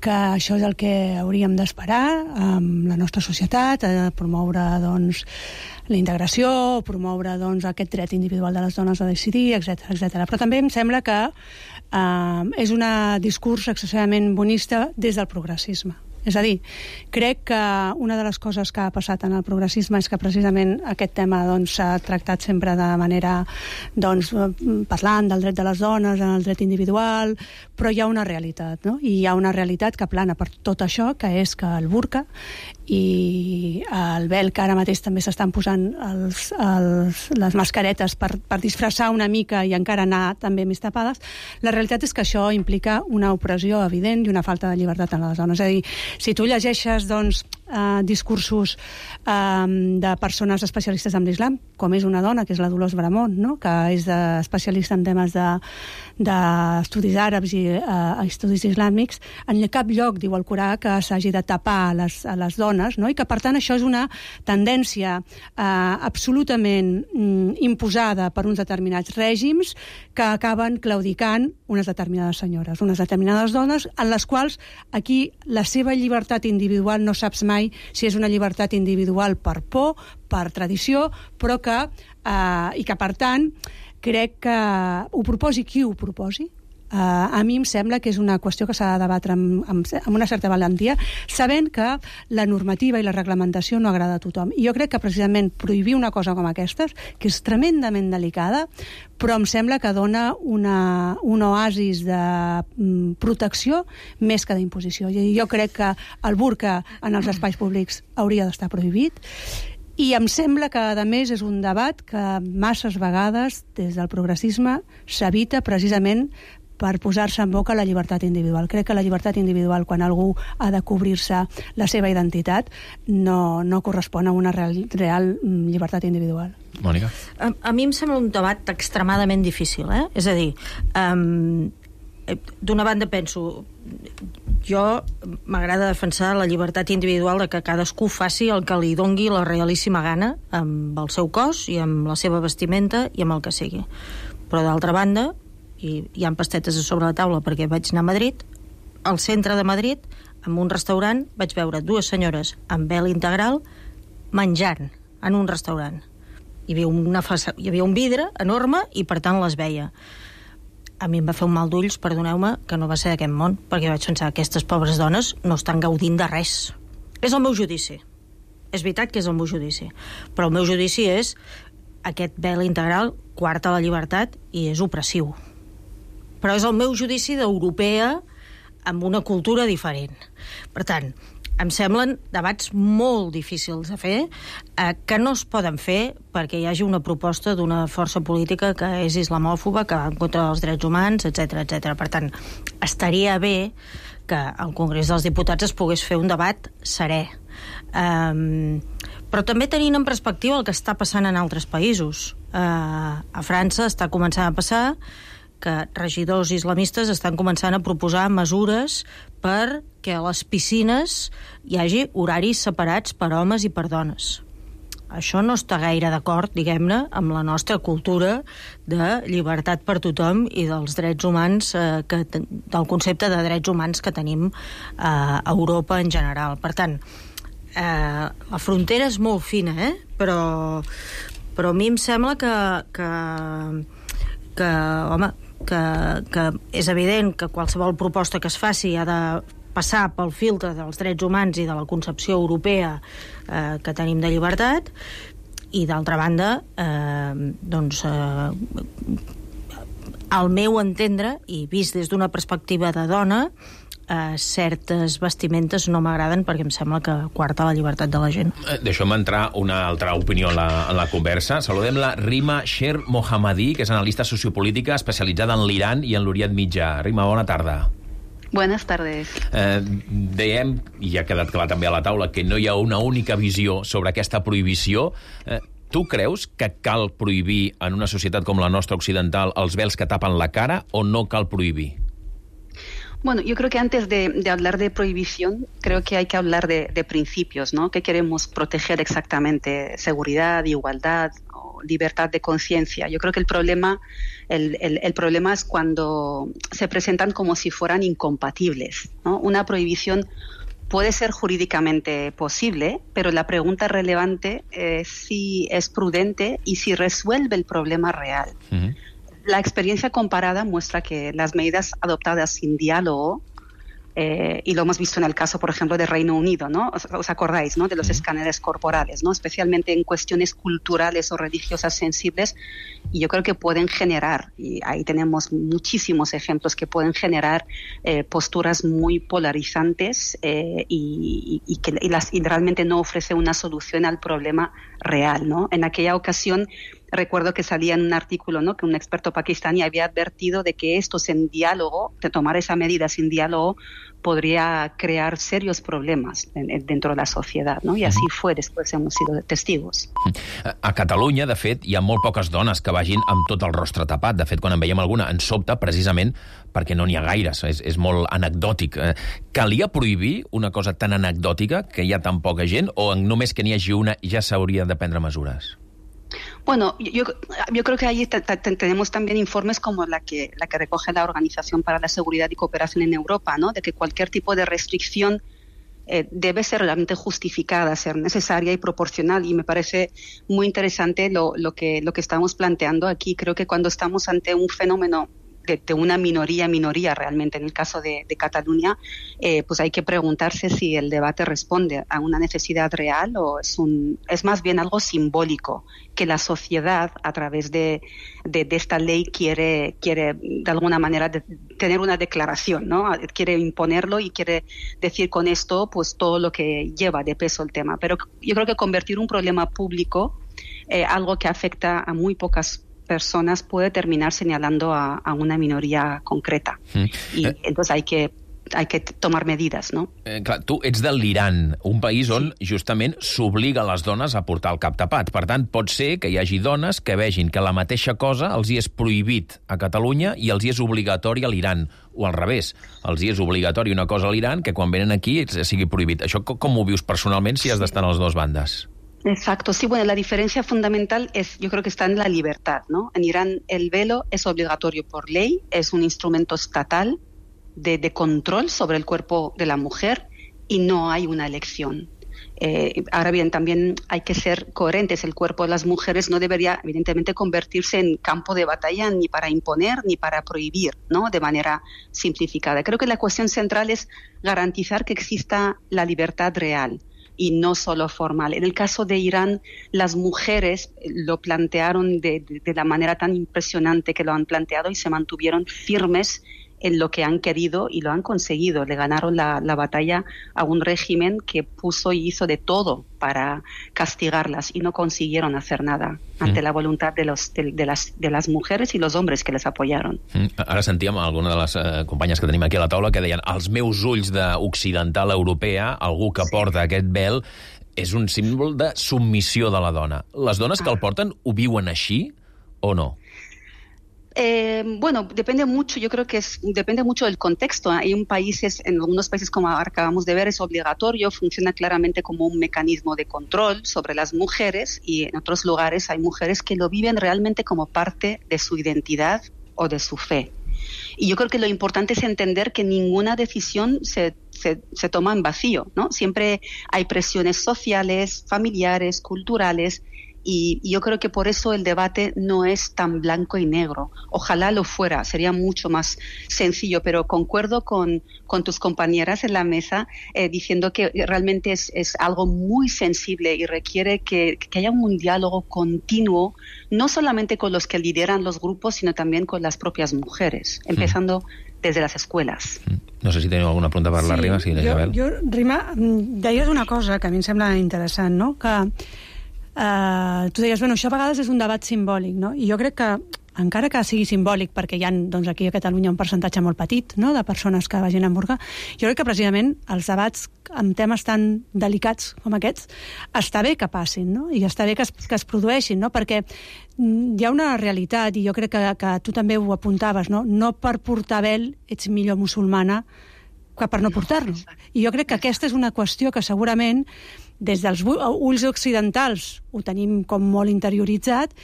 això és el que hauríem d'esperar amb la nostra societat, promoure doncs, la integració, promoure doncs, aquest dret individual de les dones a decidir, etc. Però també em sembla que és un discurs excessivament bonista des del progressisme. És a dir, crec que una de les coses que ha passat en el progressisme és que precisament aquest tema s'ha tractat sempre de manera parlant del dret de les dones, en el dret individual, però hi ha una realitat, no? I hi ha una realitat que plana per tot això, que és que el burca i el vel, que ara mateix també s'estan posant les mascaretes per disfressar una mica i encara anar també més tapades, la realitat és que això implica una opressió evident i una falta de llibertat en les dones. És a dir, si tu llegeixes discursos de persones especialistes en l'islam, com és una dona, que és la Dolors Bramont, no? Que és especialista en temes d'estudis àrabs i estudis islàmics, en cap lloc diu el Corà que s'hagi de tapar a les dones, no? I que per tant això és una tendència absolutament imposada per uns determinats règims que acaben claudicant unes determinades senyores, unes determinades dones, en les quals aquí la seva llibertat individual no saps mai si és una llibertat individual per por, per tradició, però i que per tant crec que ho proposi qui ho proposi, a mi em sembla que és una qüestió que s'ha de debatre amb una certa valentia, sabent que la normativa i la reglamentació no agrada a tothom. I jo crec que precisament prohibir una cosa com aquesta, que és tremendament delicada, però em sembla que dona un oasis de protecció més que d'imposició. I jo crec que el burca en els espais públics hauria d'estar prohibit, i em sembla que, a més, és un debat que masses vegades, des del progressisme, s'evita precisament per posar-se en boca la llibertat individual. Crec que la llibertat individual, quan algú ha de cobrir-se la seva identitat, no correspon a una real llibertat individual. Mònica? A mi em sembla un debat extremadament difícil, És a dir, d'una banda penso, jo m'agrada defensar la llibertat individual de que cadascú faci el que li dongui la realíssima gana amb el seu cos i amb la seva vestimenta i amb el que sigui. Però d'altra banda, i hi ha pastetes a sobre la taula perquè vaig anar a Madrid, al centre de Madrid, en un restaurant, vaig veure dues senyores amb vel integral menjant en un restaurant. Hi havia un vidre enorme i per tant les veia. A mi em va fer un mal d'ulls, perdoneu-me, que no va ser d'aquest món, perquè vaig pensar que aquestes pobres dones no estan gaudint de res. És el meu judici. És veritat que és el meu judici. Però el meu judici és aquest vel integral coarta la llibertat i és opressiu. Però és el meu judici d'europea amb una cultura diferent. Per tant, em semblen debats molt difícils de fer, que no es poden fer perquè hi hagi una proposta d'una força política que és islamòfoba, que va en contra dels drets humans, etc etc. Per tant, estaria bé que al Congrés dels Diputats es pogués fer un debat serè. Però també tenint en perspectiva el que està passant en altres països. A França està començant a passar que regidors islamistes estan començant a proposar mesures perquè a les piscines hi hagi horaris separats per homes i per dones. Això no està gaire d'acord, diguem-ne, amb la nostra cultura de llibertat per tothom i dels drets humans, del concepte de drets humans que tenim a Europa en general. Per tant, la frontera és molt fina, però a mi em sembla que és evident que qualsevol proposta que es faci ha de passar pel filtre dels drets humans i de la concepció europea que tenim de llibertat, i d'altra banda al meu entendre, i vist des d'una perspectiva de dona, certes vestimentes no m'agraden perquè em sembla que coarta la llibertat de la gent. Deixem entrar una altra opinió en la conversa. Saludem la Rima Sher Mohammadi, que és analista sociopolítica especialitzada en l'Iran i en l'Orient Mitjà. Rima, bona tarda. Buenas tardes. Dèiem, i ha quedat clar també a la taula, que no hi ha una única visió sobre aquesta prohibició. Tu creus que cal prohibir en una societat com la nostra occidental els vels que tapen la cara o no cal prohibir? Bueno, yo creo que antes de hablar de prohibición, creo que hay que hablar de principios, ¿no? ¿Qué queremos proteger exactamente? Seguridad, igualdad, o libertad de conciencia. Yo creo que el problema es cuando se presentan como si fueran incompatibles, ¿no? Una prohibición puede ser jurídicamente posible, pero la pregunta relevante es si es prudente y si resuelve el problema real. Uh-huh. La experiencia comparada muestra que las medidas adoptadas sin diálogo y lo hemos visto en el caso, por ejemplo, de Reino Unido, ¿no? ¿Os acordáis, ¿no? De los escáneres corporales, ¿no? Especialmente en cuestiones culturales o religiosas sensibles, y yo creo que pueden generar, y ahí tenemos muchísimos ejemplos que pueden generar posturas muy polarizantes y realmente no ofrece una solución al problema real, ¿no? En aquella ocasión recuerdo que salía en un artículo, ¿no?, que un experto pakistaní había advertido de que esto sin diálogo, de tomar esa medida sin diálogo, podría crear serios problemas dentro de la societat, no? I així fue, després hem sido testigos. A Catalunya, de fet, hi ha molt poques dones que vagin amb tot el rostre tapat. De fet, quan en veiem alguna, ens sobta precisament perquè no n'hi ha gaires. És molt anecdòtic. Calia prohibir una cosa tan anecdòtica, que hi ha tan poca gent, o només que n'hi hagi una ja s'haurien de prendre mesures? Bueno, yo creo que ahí tenemos también informes como la que recoge la Organización para la Seguridad y Cooperación en Europa, ¿no? De que cualquier tipo de restricción debe ser realmente justificada, ser necesaria y proporcional. Y me parece muy interesante lo que estamos planteando aquí. Creo que cuando estamos ante un fenómeno de una minoría realmente, en el caso de Cataluña, pues hay que preguntarse si el debate responde a una necesidad real o es más bien algo simbólico, que la sociedad, a través de esta ley, quiere de alguna manera tener una declaración, ¿no? Quiere imponerlo y quiere decir con esto pues todo lo que lleva de peso el tema. Pero yo creo que convertir un problema público, algo que afecta a muy pocas personas, puede terminar señalando a una minoría concreta. Y entonces hay que tomar medidas, no? Clar, tu ets de l'Iran, un país on justament s'obliga a les dones a portar el cap tapat. Per tant, pot ser que hi hagi dones que vegin que la mateixa cosa els hi és prohibit a Catalunya i els hi és obligatori a l'Iran, o al revés, els hi és obligatori una cosa a l'Iran que quan venen aquí sigui prohibit. Això com ho vius personalment si has d'estar a les dues bandes? Exacto, sí, bueno, la diferencia fundamental yo creo que está en la libertad, ¿no? En Irán el velo es obligatorio por ley, es un instrumento estatal de control sobre el cuerpo de la mujer y no hay una elección. Ahora bien, también hay que ser coherentes. El cuerpo de las mujeres no debería, evidentemente, convertirse en campo de batalla ni para imponer ni para prohibir, ¿no? De manera simplificada. Creo que la cuestión central es garantizar que exista la libertad real y no solo formal. En el caso de Irán, las mujeres lo plantearon de la manera tan impresionante que lo han planteado y se mantuvieron firmes en lo que han querido y lo han conseguido. Le ganaron la batalla a un régimen que puso y hizo de todo para castigarlas y no consiguieron hacer nada ante la voluntad de las mujeres y los hombres que les apoyaron. Ara sentíem alguna de les companyes que tenim aquí a la taula que deien als meus ulls d'occidental europea, algú que porta aquest vel és un símbol de submissió de la dona. Les dones que el porten ho viuen així o no? Bueno, depende mucho, yo creo que depende mucho del contexto. Hay en algunos países, como acabamos de ver, es obligatorio, funciona claramente como un mecanismo de control sobre las mujeres, y en otros lugares hay mujeres que lo viven realmente como parte de su identidad o de su fe. Y yo creo que lo importante es entender que ninguna decisión se toma en vacío, ¿no? Siempre hay presiones sociales, familiares, culturales. Y yo creo que por eso el debate no es tan blanco y negro. Ojalá lo fuera, sería mucho más sencillo, pero concuerdo con tus compañeras en la mesa diciendo que realmente es algo muy sensible y requiere que haya un diálogo continuo, no solamente con los que lideran los grupos, sino también con las propias mujeres, empezando desde las escuelas. No sé si teniu alguna pregunta per la Rima. Sí, Rima, deies una cosa que a mi em sembla interessant, no? Que tu deies, bueno, això a vegades és un debat simbòlic, no? I jo crec que, encara que sigui simbòlic, perquè hi ha doncs, aquí a Catalunya un percentatge molt petit, no?, de persones que vagin a emborcar, jo crec que precisament els debats amb temes tan delicats com aquests està bé que passin, no?, i està bé que es produeixin, no?, perquè hi ha una realitat, i jo crec que tu també ho apuntaves, no?, no per portar vel ets millor musulmana que per no portar-lo. I jo crec que aquesta és una qüestió que segurament des dels ulls occidentals ho tenim com molt interioritzat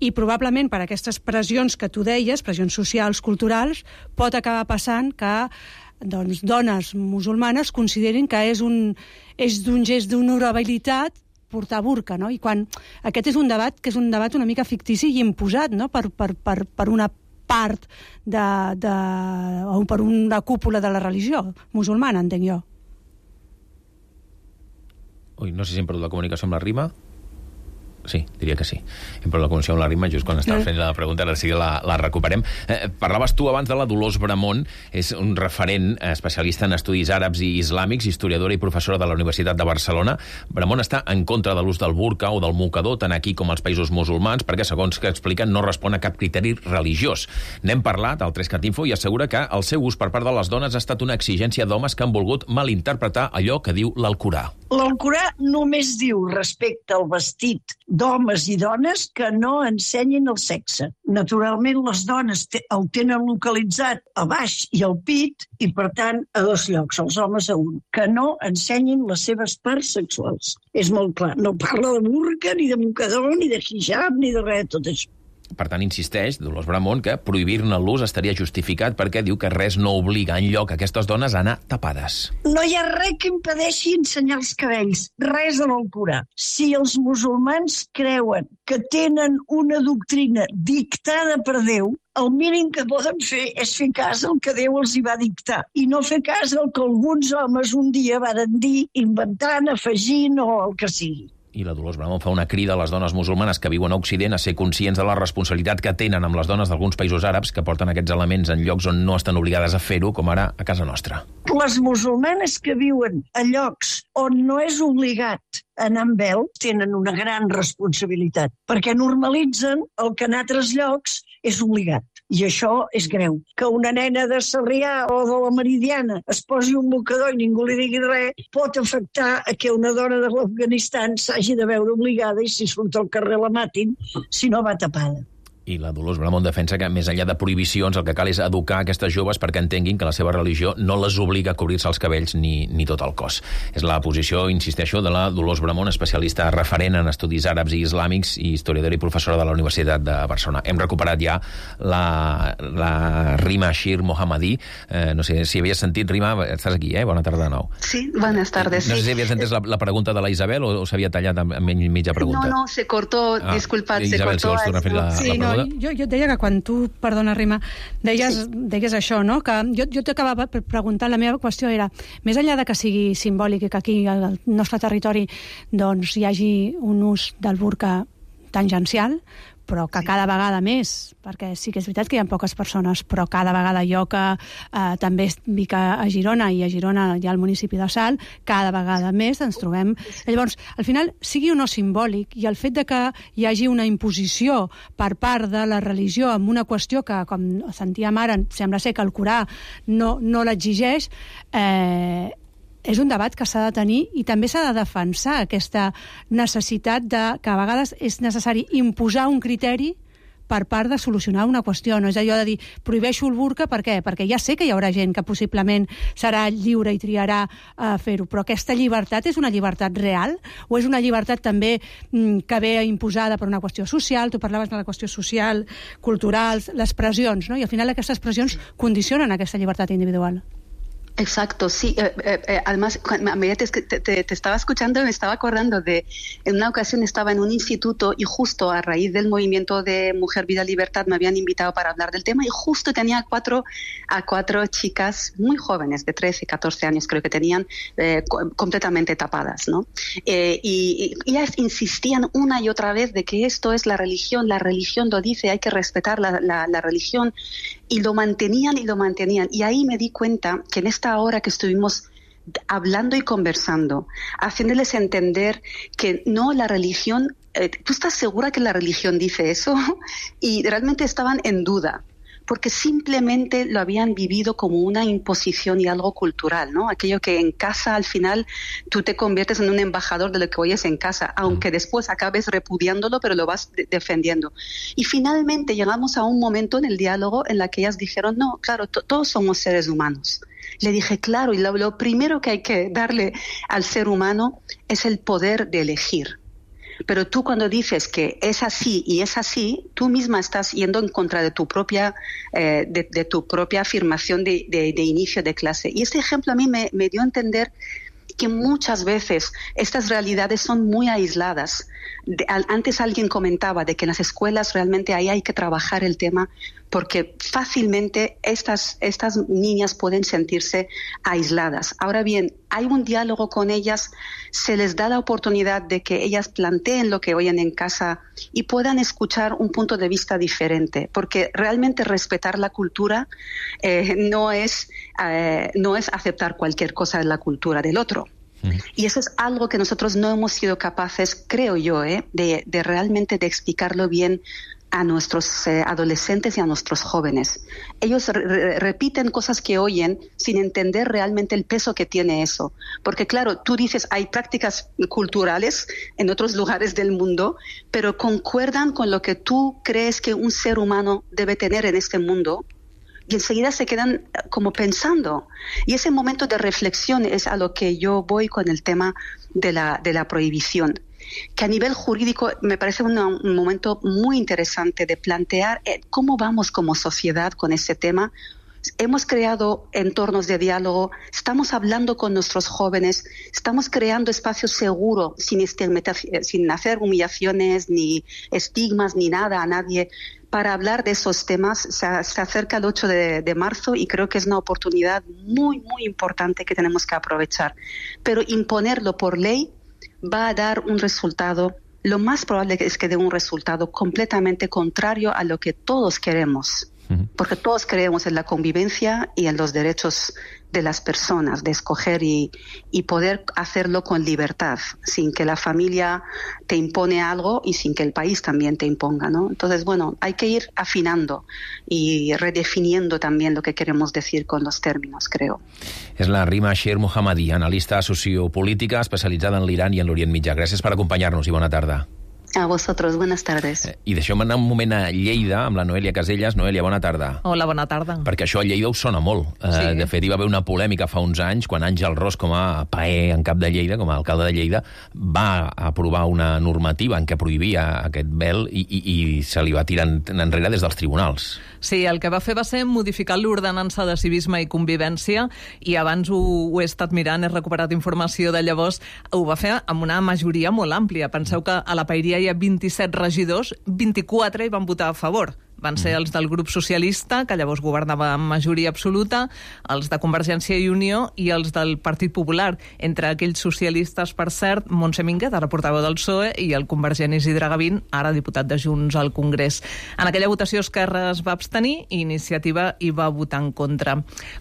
i probablement per aquestes pressions que tu deies, pressions socials, culturals, pot acabar passant que doncs, dones musulmanes considerin que és d'un gest d'honorabilitat portar burca, no? I quan aquest és un debat que és un debat una mica fictici i imposat, no?, per una part o per una cúpula de la religió musulmana, entenc jo. Ui, no sé si hem perdut la comunicació amb la Rima. Sí, diria que sí. Hem perdut la comunicació amb la Rima, just quan estava fent la pregunta, ara sí que la recuperem. Parlaves tu abans de la Dolors Bramon, és un referent especialista en estudis àrabs i islàmics, historiadora i professora de la Universitat de Barcelona. Bramon està en contra de l'ús del burca o del mocador, tant aquí com als països musulmans, perquè, segons que expliquen, no respon a cap criteri religiós. N'hem parlat al 3cat Info i assegura que el seu ús per part de les dones ha estat una exigència d'homes que han volgut malinterpretar allò que diu l'Alcorà. L'Alcorà només diu respecte al vestit d'homes i dones que no ensenyin el sexe. Naturalment, les dones el tenen localitzat a baix i al pit i, per tant, a 2 llocs, els homes a 1. Que no ensenyin les seves parts sexuals. És molt clar. No parla de burca, ni de mocador, ni de hijab, ni de res de tot això. Per tant, insisteix Dolors Bramon que prohibir-ne l'ús estaria justificat perquè diu que res no obliga enlloc aquestes dones a anar tapades. No hi ha res que impedeixi ensenyar els cabells, res a l'Alcorà. Si els musulmans creuen que tenen una doctrina dictada per Déu, el mínim que poden fer és fer cas al que Déu els hi va dictar i no fer cas al que alguns homes un dia varen dir, inventant, afegint o el que sigui. I la Dolors Bramon fa una crida a les dones musulmanes que viuen a Occident a ser conscients de la responsabilitat que tenen amb les dones d'alguns països àrabs que porten aquests elements en llocs on no estan obligades a fer-ho, com ara a casa nostra. Les musulmanes que viuen a llocs on no és obligat anar amb vel tenen una gran responsabilitat, perquè normalitzen el que en altres llocs és obligat. I això és greu. Que una nena de Sarrià o de la Meridiana es posi un mocador i ningú li digui res pot afectar a que una dona de l'Afganistan s'hagi de veure obligada i si surt al carrer la matin si no va tapada. I la Dolors Bramon defensa que, més enllà de prohibicions, el que cal és educar aquestes joves perquè entenguin que la seva religió no les obliga a cobrir-se els cabells ni tot el cos. És la posició, insisteixo, de la Dolors Bramon, especialista referent en estudis àrabs i islàmics i historiadora i professora de la Universitat de Barcelona. Hem recuperat ja la Rima Shir Mohammadi. No sé si havies sentit, Rima, estàs aquí, Bona tarda de nou. Sí, buenas tardes. No sé si havies entès la pregunta de la Isabel o s'havia tallat en mitja pregunta. No, se cortó, disculpad, se Isabel, cortó. Si vols tornar a fer la pregunta. Jo et deia que quan tu, perdona Rima, deies això, no? Que jo t'acabava preguntant, la meva qüestió era, més enllà de que sigui simbòlic i que aquí al nostre territori doncs, hi hagi un ús del burca tangencial, però que cada vegada més, perquè sí que és veritat que hi ha poques persones, però cada vegada jo que també vic a Girona, i a Girona hi ha el municipi de Salt, cada vegada més ens trobem. Llavors, al final, sigui o no simbòlic, i el fet de que hi hagi una imposició per part de la religió amb una qüestió que, com sentíem ara, sembla ser que el Corà no l'exigeix, és un debat que s'ha de tenir i també s'ha de defensar aquesta necessitat de que a vegades és necessari imposar un criteri per part de solucionar una qüestió. No és allò de dir, prohibeixo el burca, per què? Perquè ja sé que hi haurà gent que possiblement serà lliure i triarà fer-ho, però aquesta llibertat és una llibertat real o és una llibertat també que ve imposada per una qüestió social? Tu parlaves de la qüestió social, cultural, les pressions, no? I al final aquestes pressions condicionen aquesta llibertat individual. Exacto, sí. Además, a medida que te estaba escuchando, me estaba acordando de, en una ocasión estaba en un instituto y justo a raíz del movimiento de Mujer, Vida, Libertad me habían invitado para hablar del tema y justo tenía a cuatro chicas muy jóvenes, de 13, 14 años creo que tenían, completamente tapadas, ¿no? Y ellas insistían una y otra vez de que esto es la religión lo dice, hay que respetar la religión. Y lo mantenían. Y ahí me di cuenta que en esta hora que estuvimos hablando y conversando, haciéndoles entender que no, la religión, ¿tú estás segura que la religión dice eso? Y realmente estaban en duda, porque simplemente lo habían vivido como una imposición y algo cultural, ¿no? Aquello que en casa al final tú te conviertes en un embajador de lo que oyes en casa, aunque después acabes repudiándolo, pero lo vas defendiendo. Y finalmente llegamos a un momento en el diálogo en la que ellas dijeron, no, claro, todos somos seres humanos. Le dije, claro, y lo primero que hay que darle al ser humano es el poder de elegir. Pero tú cuando dices que es así y es así, tú misma estás yendo en contra de tu propia afirmación de inicio de clase. Y este ejemplo a mí me dio a entender que muchas veces estas realidades son muy aisladas. Antes alguien comentaba de que en las escuelas realmente ahí hay que trabajar el tema porque fácilmente estas niñas pueden sentirse aisladas. Ahora bien, hay un diálogo con ellas, se les da la oportunidad de que ellas planteen lo que oyen en casa y puedan escuchar un punto de vista diferente, porque realmente respetar la cultura no es aceptar cualquier cosa de la cultura del otro. Y eso es algo que nosotros no hemos sido capaces, creo yo, de realmente de explicarlo bien a nuestros adolescentes y a nuestros jóvenes. Ellos repiten cosas que oyen sin entender realmente el peso que tiene eso. Porque claro, tú dices, hay prácticas culturales en otros lugares del mundo, pero concuerdan con lo que tú crees que un ser humano debe tener en este mundo, y enseguida se quedan como pensando. Y ese momento de reflexión es a lo que yo voy con el tema de la prohibición, que a nivel jurídico me parece un momento muy interesante de plantear cómo vamos como sociedad con ese tema. Hemos creado entornos de diálogo, estamos hablando con nuestros jóvenes, estamos creando espacios seguros sin hacer humillaciones ni estigmas ni nada a nadie para hablar de esos temas. Se acerca el 8 de marzo y creo que es una oportunidad muy, muy importante que tenemos que aprovechar. Pero imponerlo por ley va a dar un resultado, lo más probable es que dé un resultado completamente contrario a lo que todos queremos. Porque todos creemos en la convivencia y en los derechos de las personas, de escoger y poder hacerlo con libertad, sin que la familia te impone algo y sin que el país también te imponga, ¿no? Entonces, bueno, hay que ir afinando y redefiniendo también lo que queremos decir con los términos, creo. És la Rima Sher Mohammadi, analista sociopolítica especialitzada en l'Iran i en l'Orient Mitjà. Gràcies per acompanyar-nos i bona tarda. A vosotros, buenas tardes. I deixeu-me anar un moment a Lleida amb la Noèlia Casellas. Noèlia, bona tarda. Hola, bona tarda. Perquè això a Lleida us sona molt. Sí. De fet, hi va haver una polèmica fa uns anys quan Àngel Ros, com a paer en cap de Lleida, com a alcalde de Lleida, va aprovar una normativa en què prohibia aquest vel i se li va tirar enrere des dels tribunals. Sí, el que va fer va ser modificar l'ordenança de civisme i convivència, i abans ho he estat mirant, he recuperat informació de llavors, ho va fer amb una majoria molt àmplia. Penseu que a la Paeria hi ha 27 regidors, 24 hi van votar a favor. Van ser els del grup socialista, que llavors governava amb majoria absoluta, els de Convergència i Unió i els del Partit Popular. Entre aquells socialistes, per cert, Montse Minguet, ara portaveu del PSOE, i el convergent Isidre Gavín, ara diputat de Junts al Congrés. En aquella votació Esquerra es va abstenir i Iniciativa hi va votar en contra.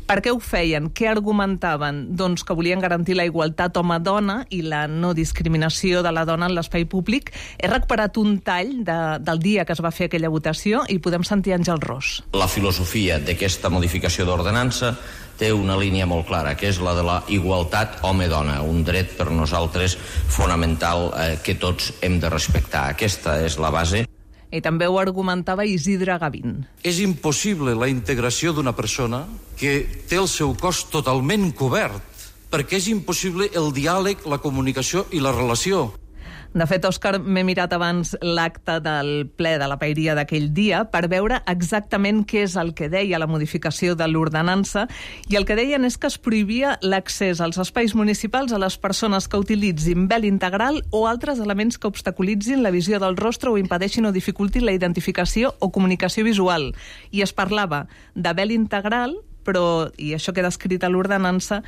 Per què ho feien? Què argumentaven? Doncs que volien garantir la igualtat home-dona i la no discriminació de la dona en l'espai públic. He recuperat un tall del dia que es va fer aquella votació i podem sentir Àngel Ros. La filosofia d'aquesta modificació d'ordenança té una línia molt clara, que és la de la igualtat home-dona, un dret per nosaltres fonamental que tots hem de respectar. Aquesta és la base. I també ho argumentava Isidre Gavín. És impossible la integració d'una persona que té el seu cos totalment cobert, perquè és impossible el diàleg, la comunicació i la relació. De fet, Òscar, m'he mirat abans l'acte del ple de la Paeria d'aquell dia per veure exactament què és el que deia la modificació de l'ordenança, i el que deien és que es prohibia l'accés als espais municipals a les persones que utilitzin vel integral o altres elements que obstaculitzin la visió del rostre o impedeixin o dificultin la identificació o comunicació visual. I es parlava de vel integral, però, i això queda escrit a l'ordenança,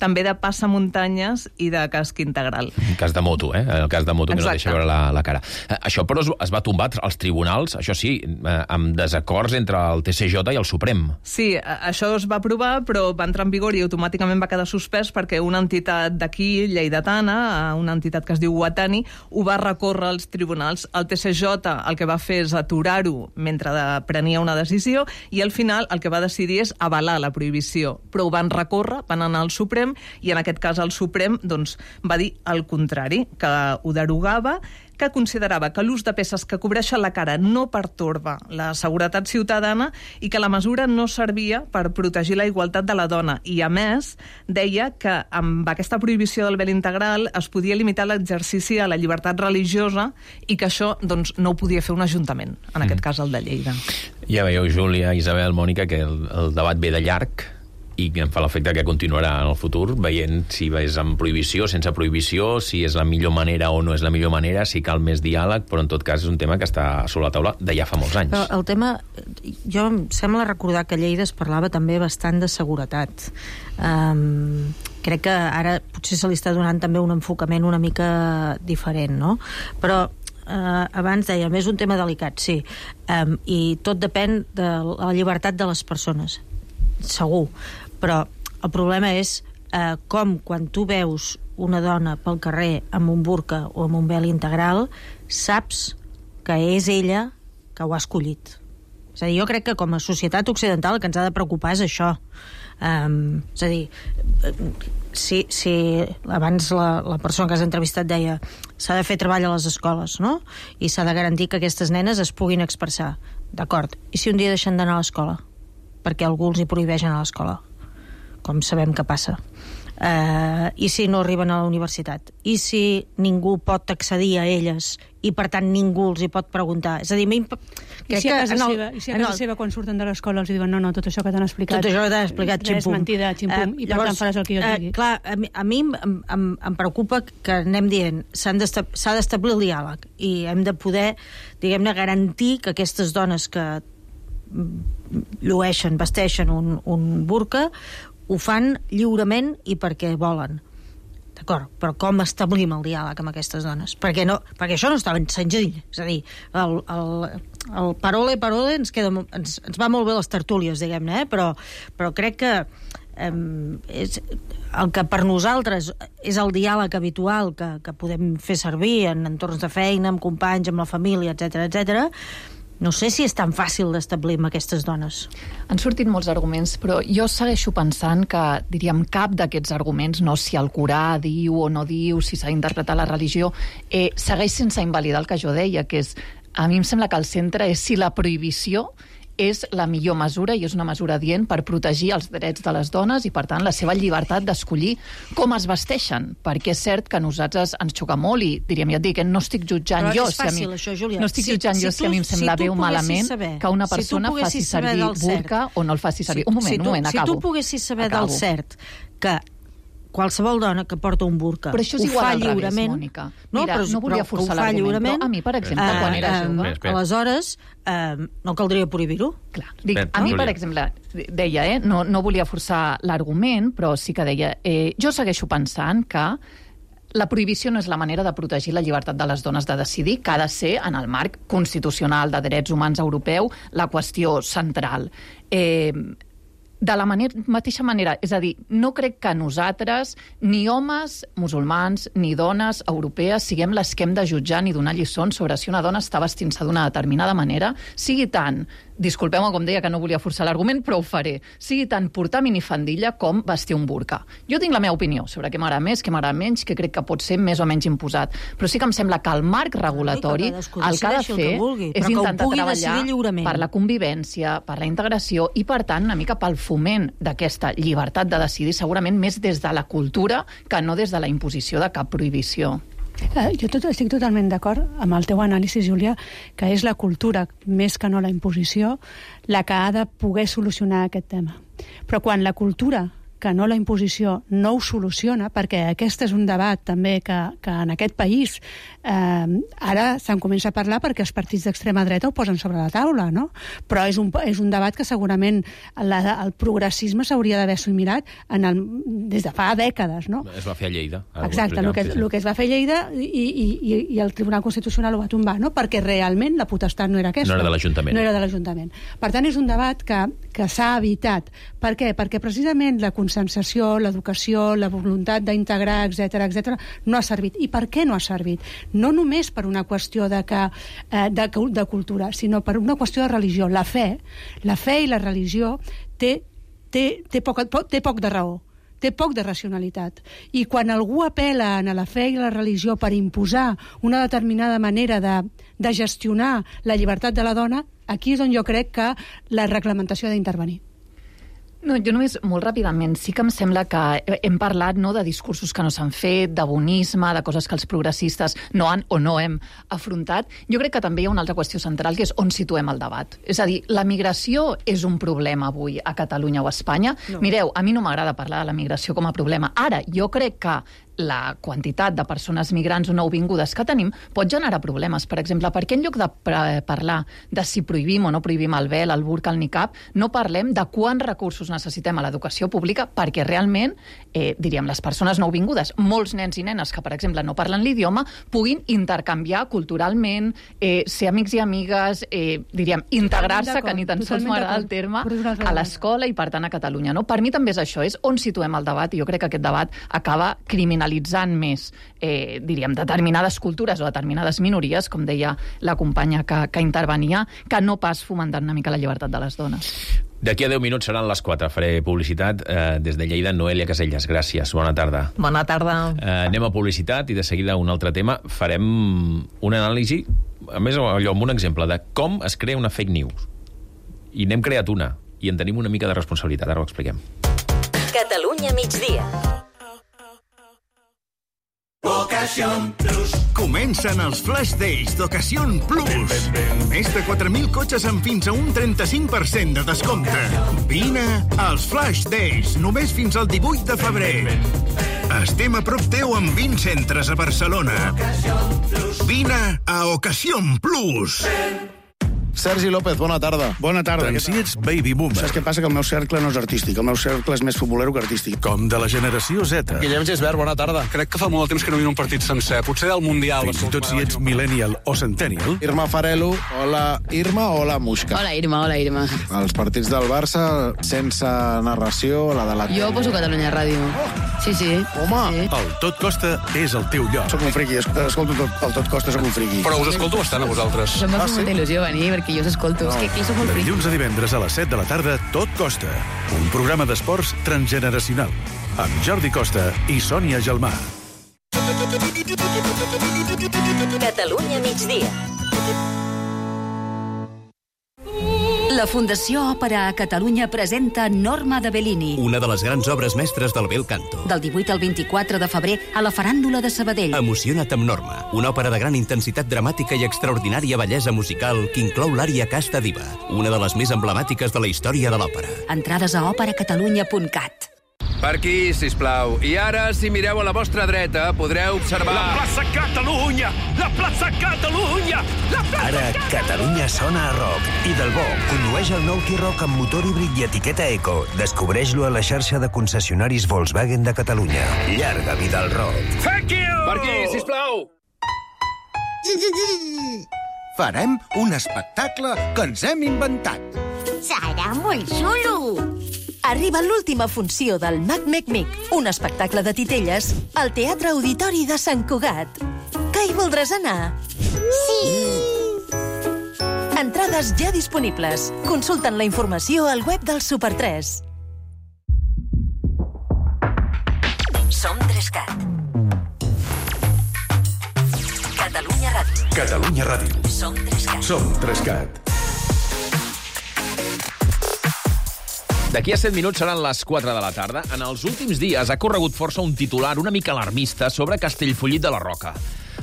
també de passamuntanyes i de casc integral. En cas de moto, el cas de moto. Exacte. Que no deixa veure la cara. Això, però, es va tombar als tribunals, això sí, amb desacords entre el TCJ i el Suprem. Sí, això es va aprovar, però va entrar en vigor i automàticament va quedar suspès perquè una entitat d'aquí, lleidatana, una entitat que es diu Guatani, ho va recórrer als tribunals. El TCJ el que va fer és aturar-ho mentre prenia una decisió, i al final el que va decidir és avalar la prohibició, però ho van recórrer, van anar al Suprem, i en aquest cas el Suprem doncs, va dir el contrari, que ho derogava, que considerava que l'ús de peces que cobreixen la cara no pertorba la seguretat ciutadana i que la mesura no servia per protegir la igualtat de la dona. I, a més, deia que amb aquesta prohibició del vel integral es podia limitar l'exercici a la llibertat religiosa i que això doncs, no ho podia fer un ajuntament, en aquest cas el de Lleida. Ja veieu, Júlia, Isabel, Mònica, que el debat ve de llarg i em fa l'efecte que continuarà en el futur, veient si és amb prohibició, sense prohibició, si és la millor manera o no és la millor manera, si cal més diàleg, però en tot cas és un tema que està sobre la taula de ja fa molts anys. Però el tema, jo em sembla recordar que a Lleida es parlava també bastant de seguretat. Crec que ara potser se li està donant també un enfocament una mica diferent, no? Però abans dèiem, és un tema delicat, sí, i tot depèn de la llibertat de les persones, segur, però el problema és com quan tu veus una dona pel carrer amb un burca o amb un vel integral, saps que és ella que ho ha escollit. És a dir, jo crec que com a societat occidental el que ens ha de preocupar és això. És a dir, si abans la persona que has entrevistat deia s'ha de fer treball a les escoles, no? I s'ha de garantir que aquestes nenes es puguin expressar. D'acord. I si un dia deixen d'anar a l'escola? Perquè algú els hi prohibeix anar a l'escola, com sabem que passa. I si no arriben a la universitat? I si ningú pot accedir a elles i per tant ningú els hi pot preguntar? És a dir, I si a casa seva quan surten de l'escola els diuen no, tot això que t'han explicat tot això que t'han explicat, ximpum, és mentida, ximpum, i per tant faràs el que jo et digui. Clar, a mi em preocupa que anem dient s'ha d'establir el diàleg i hem de poder, diguem-ne, garantir que aquestes dones que llueixen, vesteixen un burca ho fan lliurement i perquè volen. D'acord, però com establim el diàleg amb aquestes dones? Perquè això no està ben senzill. És a dir, el parole ens va molt bé les tertúlies, diguem-ne, però crec que el que per nosaltres és el diàleg habitual que podem fer servir en entorns de feina, amb companys, amb la família, etc. No sé si és tan fàcil d'establir amb aquestes dones. Han sortit molts arguments, però jo segueixo pensant que, diríem, cap d'aquests arguments, no si el Corà diu o no diu, si s'ha d'interpretar la religió, segueix sense invalidar el que jo deia, que és, a mi em sembla que el centre és si la prohibició és la millor mesura i és una mesura adient per protegir els drets de les dones i, per tant, la seva llibertat d'escollir com es vesteixen, perquè és cert que a nosaltres ens xoca molt i, diríem, ja et dic, no estic jutjant jo si a mi... No estic jutjant jo si a mi em sembla bé o malament que una persona faci servir burca o no el faci servir. Un moment, acabo. Si tu poguessis saber del cert que qualsevol dona que porta un burca però això és igual al revés, Mònica. Mira, no volia forçar l'argument, però a mi, per exemple, quan era jove... Aleshores, no caldria prohibir-ho. Clar, dic, a mi, per exemple, deia, no volia forçar l'argument, però sí que deia, jo segueixo pensant que la prohibició no és la manera de protegir la llibertat de les dones de decidir, que ha de ser, en el marc constitucional de drets humans europeu, la qüestió central. De la mateixa manera, és a dir, no crec que nosaltres, ni homes musulmans, ni dones europees, siguem les que hem de jutjar ni donar lliçons sobre si una dona està vestint-se d'una determinada manera, sigui tant, disculpeu-me com deia que no volia forçar l'argument, però ho faré, sigui tant portar minifandilla com vestir un burca. Jo tinc la meva opinió sobre què m'agrada més, què m'agrada menys, que crec que pot ser més o menys imposat, però sí que em sembla que el marc regulatori el que ha de fer és intentar treballar per la convivència, per la integració i, per tant, una mica pel foment d'aquesta llibertat de decidir, segurament més des de la cultura que no des de la imposició de cap prohibició. Jo estic totalment d'acord amb el teu anàlisi, Júlia, que és la cultura, més que no la imposició, la que ha de poder solucionar aquest tema. Però quan la cultura, que no la imposició, no ho soluciona, perquè aquest és un debat també que en aquest país ara se'n comença a parlar perquè els partits d'extrema dreta ho posen sobre la taula, no? Però és un debat que segurament el progressisme s'hauria d'haver assimilat des de fa dècades, no? Es va fer a Lleida. Exacte, el que es va fer a Lleida i el Tribunal Constitucional ho va tombar, no? Perquè realment la potestat no era aquesta. No era de l'Ajuntament. No era de l'Ajuntament. Per tant, és un debat que s'ha evitat. Per què? Perquè precisament la conscienciació, l'educació, la voluntat d'integrar, etc., no ha servit. I per què no ha servit? No només per una qüestió de cultura, sinó per una qüestió de religió. La fe i la religió té poc de raó, té poc de racionalitat. I quan algú apel·la a la fe i la religió per imposar una determinada manera de gestionar la llibertat de la dona, aquí és on jo crec que la reglamentació ha d'intervenir. No, jo només, molt ràpidament, sí que em sembla que hem parlat de discursos que no s'han fet, de bonisme, de coses que els progressistes no han o no hem afrontat. Jo crec que també hi ha una altra qüestió central, que és on situem el debat. És a dir, la migració és un problema avui a Catalunya o a Espanya? No. Mireu, a mi no m'agrada parlar de la migració com a problema. Ara, jo crec que la quantitat de persones migrants o nouvingudes que tenim pot generar problemes. Per exemple, per què en lloc de parlar de si prohibim o no prohibim el vel, el burca, el niqab, no parlem de quants recursos necessitem a l'educació pública perquè realment, diríem, les persones nouvingudes, molts nens i nenes que, per exemple, no parlen l'idioma, puguin intercanviar culturalment, ser amics i amigues, diríem, integrar-se, que ni tan sols m'agrada el terme, a l'escola i, per tant, a Catalunya. No? Per mi també és això, és on situem el debat, i jo crec que aquest debat acaba criminalitzant més, diríem, determinades cultures o determinades minories, com deia la companya que intervenia, que no pas fomentant una mica la llibertat de les dones. D'aquí a 10 minuts seran les 4. Faré publicitat des de Lleida. Noelia Casellas, gràcies. Bona tarda. Bona tarda. Anem a publicitat i de seguida un altre tema. Farem una anàlisi, a més, allò, amb un exemple de com es crea una fake news. I n'hem creat una, i en tenim una mica de responsabilitat. Ara ho expliquem. Catalunya migdia. Ocasión Plus. Comencen els Flash Days d'Ocasión Plus. Més de 4.000 cotxes amb fins a un 35% de descompte. Vine als Flash Days, només fins al 18 de febrer. Estem a prop teu amb 20 centres a Barcelona. Vine a Ocasión Plus. Sergi López, bona tarda. Bona tarda. Tant si ets baby boomer. Saps què passa? Que el meu cercle no és artístic. El meu cercle és més futbolero que artístic. Com de la generació Z. Guillem Gisbert, bona tarda. Crec que fa molt temps que no hi ha un partit sencer. Potser del Mundial. Fins i tot si ets millennial o centennial. Irma Farelo, hola Irma, hola Muixca. Hola Irma, hola Irma. Els partits del Barça sense narració, la de la... Jo poso Catalunya Ràdio. Sí, sí. Home, sí. El Tot Costa és el teu lloc. Soc un friqui, escolto el Tot Costa, soc un friqui. Però us escolto bastant a vosaltres. Em va fer molta il·lusió venir, perquè jo us escolto. És que soc molt friqui. Dilluns a divendres a les 7 de la tarda, Tot Costa. Un programa d'esports transgeneracional. Amb Jordi Costa i Sònia Gelmà. Catalunya migdia. La Fundació Òpera a Catalunya presenta Norma de Bellini. Una de les grans obres mestres del bel canto. Del 18 al 24 de febrer a la Faràndula de Sabadell. Emociona't amb Norma, una òpera de gran intensitat dramàtica i extraordinària bellesa musical que inclou l'ària Casta Diva, una de les més emblemàtiques de la història de l'òpera. Entrades a operacatalunya.cat. Per aquí, sisplau. I ara, si mireu a la vostra dreta, podreu observar... La plaça Catalunya! La plaça Catalunya! La plaça Ara, Catalunya sona a rock. I del bo, condueix el nou T-Roc amb motor híbrid i etiqueta Eco. Descobreix-lo a la xarxa de concessionaris Volkswagen de Catalunya. Llarga vida al rock. Thank you! Per aquí, sisplau! Farem un espectacle que ens hem inventat. Serà molt xulo! Arriba l'última funció del Mac Mec Mic, un espectacle de titelles al Teatre Auditori de Sant Cugat. Que hi voldràs anar? Sí! Entrades ja disponibles. Consulten la informació al web del Super 3. Som 3CAT. Catalunya Ràdio. Catalunya Ràdio. Som 3CAT. Som 3CAT. D'aquí a 7 minuts seran les 4 de la tarda. En els últims dies ha corregut força un titular una mica alarmista sobre Castellfollit de la Roca.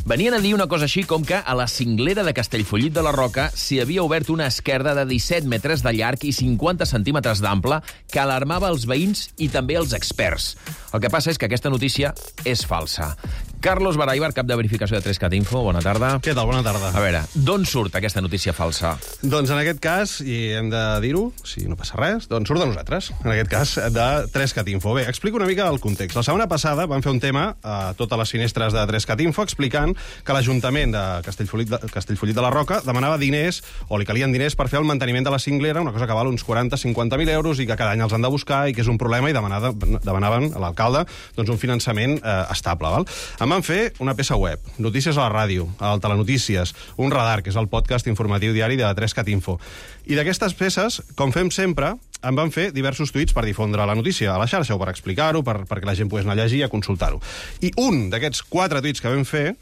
Venien a dir una cosa així com que a la cinglera de Castellfollit de la Roca s'hi havia obert una esquerda de 17 metres de llarg i 50 centímetres d'ample que alarmava els veïns i també els experts. El que passa és que aquesta notícia és falsa. Carlos Baraibar, cap de verificació de 3CAT Info, bona tarda. Què tal? Bona tarda. A veure, d'on surt aquesta notícia falsa? Doncs en aquest cas, i hem de dir-ho, si no passa res, doncs surt de nosaltres, en aquest cas de 3CAT Info. Bé, explico una mica el context. La setmana passada vam fer un tema a totes les finestres de 3CAT Info explicant que l'Ajuntament de Castellfollit de la Roca demanava diners, o li calien diners per fer el manteniment de la cinglera, una cosa que val uns 40-50.000 euros i que cada any els han de buscar i que és un problema, i demanaven a l'alcalde doncs, un finançament estable. Val? Em van fer una peça web, notícies a la ràdio, al Telenotícies, un radar, que és el podcast informatiu diari de 3CAT Info. I d'aquestes peces, com fem sempre, em van fer diversos tuits per difondre la notícia a la xarxa o per explicar-ho, perquè la gent pogués anar a llegir i a consultar-ho. I un d'aquests 4 tuits que vam fer,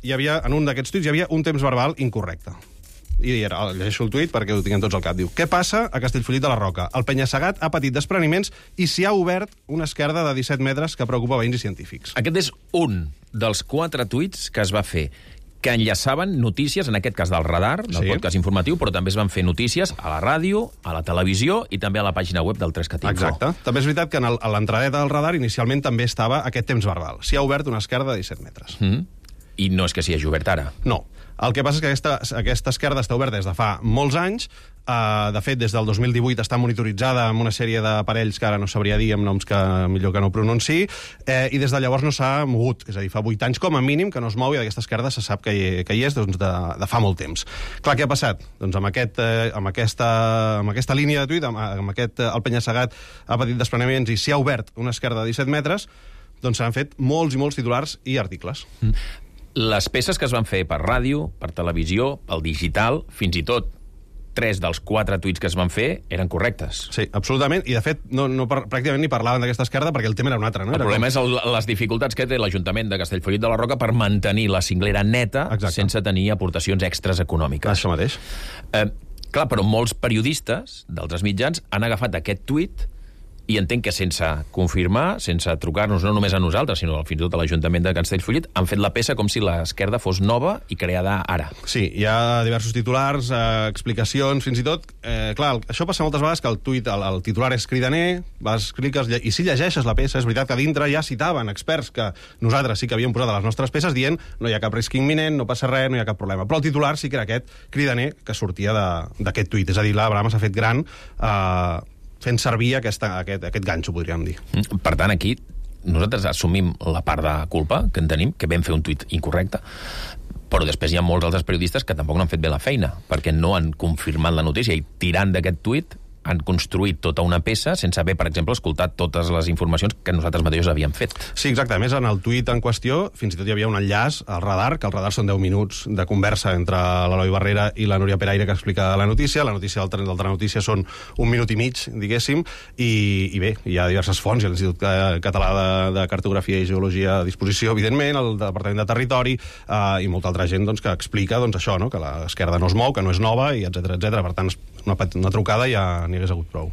en un d'aquests tuits hi havia un temps verbal incorrecte. I llegeixo el tuit perquè ho tinguem tots al cap. Diu: què passa a Castellfollit de la Roca? El penya-segat ha patit despreniments i s'hi ha obert una esquerda de 17 metres que preocupa veïns i científics. Aquest és un dels 4 tuits que es va fer. que enllaçaven notícies, en aquest cas del radar, del podcast informatiu, però també es van fer notícies a la ràdio, a la televisió i també a la pàgina web del 3catinfo. Exacte. També és veritat que a l'entradeta del radar inicialment també estava aquest temps verbal. S'hi ha obert una esquerda de 17 metres. I no és que s'hi hagi obert ara. No. El que passa és que aquesta esquerda està oberta des de fa molts anys. De fet, des del 2018 està monitoritzada amb una sèrie d'aparells que ara no sabria dir, amb noms que millor que no pronunciï, i des de llavors no s'ha mogut. És a dir, fa 8 anys com a mínim que no es mou i d'aquesta esquerda se sap que hi és de fa molt temps. Clar, què ha passat? Doncs amb aquesta línia de tuit, amb aquest el penya-segat ha patit despreniments i s'hi ha obert una esquerda de 17 metres, doncs s'han fet molts i molts titulars i articles. Les peces que es van fer per ràdio, per televisió, pel digital, fins i tot 3 dels 4 tuits que es van fer eren correctes. Sí, absolutament, i de fet pràcticament ni parlaven d'aquesta esquerda perquè el tema era un altre. No? El problema és les dificultats que té l'Ajuntament de Castellfollit de la Roca per mantenir la cinglera neta sense tenir aportacions extres econòmiques. Això mateix. Clar, però molts periodistes d'altres mitjans han agafat aquest tuit i entenc que sense confirmar, sense trucar-nos no només a nosaltres, sinó fins i tot a l'Ajuntament de Castellfollit, han fet la peça com si l'esquerda fos nova i creada ara. Sí, hi ha diversos titulars, explicacions, fins i tot. Clar, això passa moltes vegades que el tuit, el titular és cridaner, cliques, i si llegeixes la peça, és veritat que dintre ja citaven experts que nosaltres sí que havíem posat a les nostres peces dient no hi ha cap risc imminent, no passa res, no hi ha cap problema. Però el titular sí que era aquest cridaner que sortia d'aquest tuit. És a dir, l'Abraham s'ha fet gran fent servir aquest ganxo, podríem dir. Per tant, aquí nosaltres assumim la part de culpa que en tenim, que vam fer un tuit incorrecte, però després hi ha molts altres periodistes que tampoc no han fet bé la feina, perquè no han confirmat la notícia i tirant d'aquest tuit han construït tota una peça sense haver, per exemple, escoltat totes les informacions que nosaltres mateixos havíem fet. Sí, exacte. A més, en el tuit en qüestió, fins i tot hi havia un enllaç al radar, que el radar són 10 minuts de conversa entre l'Eloi Barrera i la Núria Peraire que explica la notícia del Telenotícia són 1 minut i mig, diguéssim, i bé, hi ha diverses fonts, hi ha l'Institut Català de Cartografia i Geologia a disposició, evidentment, el Departament de Territori i molta altra gent que explica això, que l'esquerda no es mou, que no és nova, i etcètera. Per tant, una trucada ja n'hi hagués hagut prou.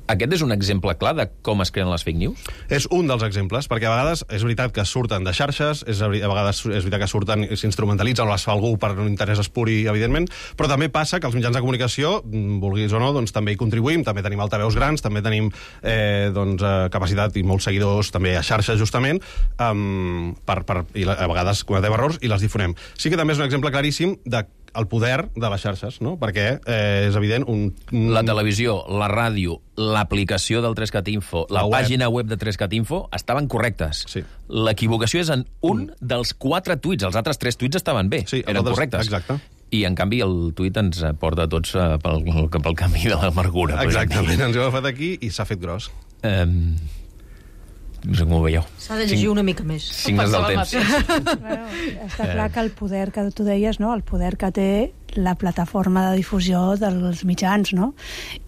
Aquest és un exemple clar de com es creen les fake news? És un dels exemples, perquè a vegades és veritat que surten de xarxes, a vegades és veritat que surten i s'instrumentalitzen o les fa algú per un interès espuri, evidentment, però també passa que els mitjans de comunicació, vulguis o no, també hi contribuïm, també tenim altaveus grans, també tenim capacitat i molts seguidors també a xarxes, justament, i a vegades cometem errors i les difonem. Sí que també és un exemple claríssim de el poder de les xarxes, no? Perquè és evident La televisió, la ràdio, l'aplicació del 3catinfo, la pàgina web de 3catinfo estaven correctes. Sí. L'equivocació és en un dels 4 tuits. Els altres 3 tuits estaven bé, eren correctes. Exacte. I, en canvi, el tuit ens porta tots pel camí de l'amargura. Exactament, ens ho ha agafat aquí i s'ha fet gros. No sé com ho veieu. S'ha de llegir una mica més. Signes del temps. Està clar que el poder que tu deies, no? El poder que té la plataforma de difusió dels mitjans, no?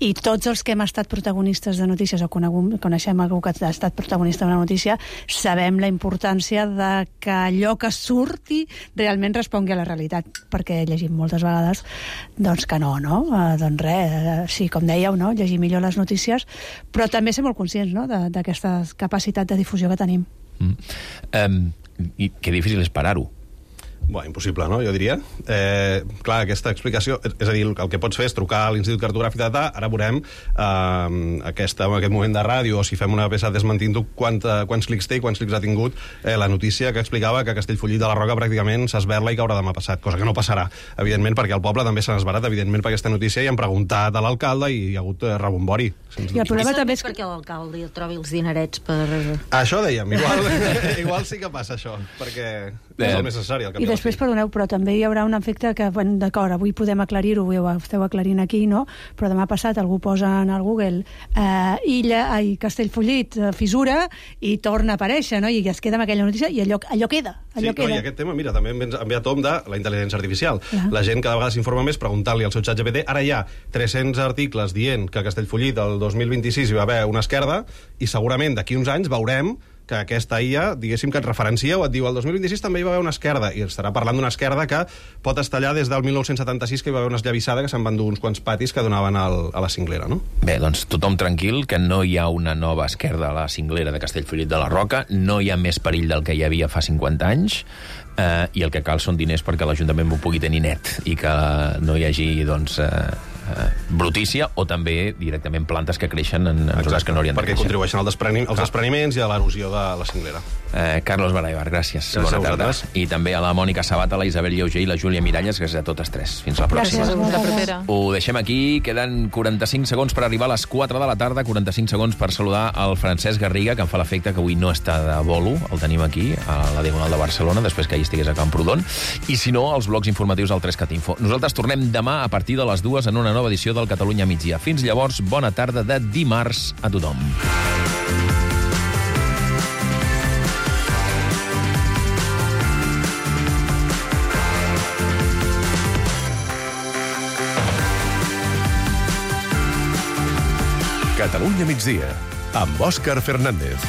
I tots els que hem estat protagonistes de notícies o coneixem algú que ha estat protagonista d'una notícia, sabem la importància de que allò que surti realment respongui a la realitat, perquè llegim moltes vegades doncs que no? Doncs res, sí, com dèieu, no? Llegir millor les notícies, però també ser molt conscients, no? D'aquesta capacitat de difusió que tenim. I que difícil és parar-ho. Impossible, no? Jo diria. Clar, aquesta explicació... És a dir, el que pots fer és trucar a l'Institut Cartogràfic de Data, ara veurem en aquest moment de ràdio, o si fem una peça desmentint-ho, quants clics té i quants clics ha tingut la notícia que explicava que Castellfollit de la Roca pràcticament s'esberla i caurà demà passat, cosa que no passarà, evidentment, perquè al poble també s'ha esbarat, evidentment, per aquesta notícia, i han preguntat a l'alcalde i hi ha hagut rebombori. I el problema també és perquè l'alcalde trobi els dinerets per... Això dèiem, igual sí que passa això, perquè és el més necessari. I després, perdoneu, però també hi haurà un efecte que, d'acord, avui podem aclarir-ho, ho esteu aclarint aquí, no? Però demà passat algú posa en el Google Castellfollit, fissura, i torna a aparèixer, no? I es queda amb aquella notícia i allò queda. I aquest tema, mira, també ve a tom de la intel·ligència artificial. La gent cada vegada s'informa més preguntant-li al seu xat GPT. Ara hi ha 300 articles dient que a Castellfollit el 2026 hi va haver una esquerda i segurament d'aquí uns anys veurem que aquesta IA, diguéssim, que et referencia o et diu el 2026 també hi va haver una esquerda, i estarà parlant d'una esquerda que pot estar allà des del 1976, que hi va haver una esllavissada que se'n van dur uns quants patis que donaven a la cinglera, no? Bé, doncs tothom tranquil, que no hi ha una nova esquerda a la cinglera de Castellfollit de la Roca, no hi ha més perill del que hi havia fa 50 anys, i el que cal són diners perquè l'Ajuntament ho pugui tenir net i que no hi hagi, doncs, brutícia o també directament plantes que creixen en zones que no haurien de créixer. Perquè contribueixen als despreniments i a l'erosió de la cinglera. Carlos Baraibar, gràcies. Bona tarda. I també a la Mònica Sabat, a la Isabel Lleuger i la Júlia Miralles, gràcies a totes tres. Fins la pròxima. Gràcies. Ho deixem aquí. Queden 45 segons per arribar a les 4 de la tarda, 45 segons per saludar el Francesc Garriga, que em fa l'efecte que avui no està de bolo. El tenim aquí, a la Diagonal de Barcelona, després que ahir estigués a Camprodon. I si no, els blocs informatius al 3cat Info. Nosaltres tornem demà a partir de les 2 en una nova edició del Catalunya Migdia. Fins llavors, bona tarda de dimarts a tothom. Catalunya Migdia, amb Òscar Fernández.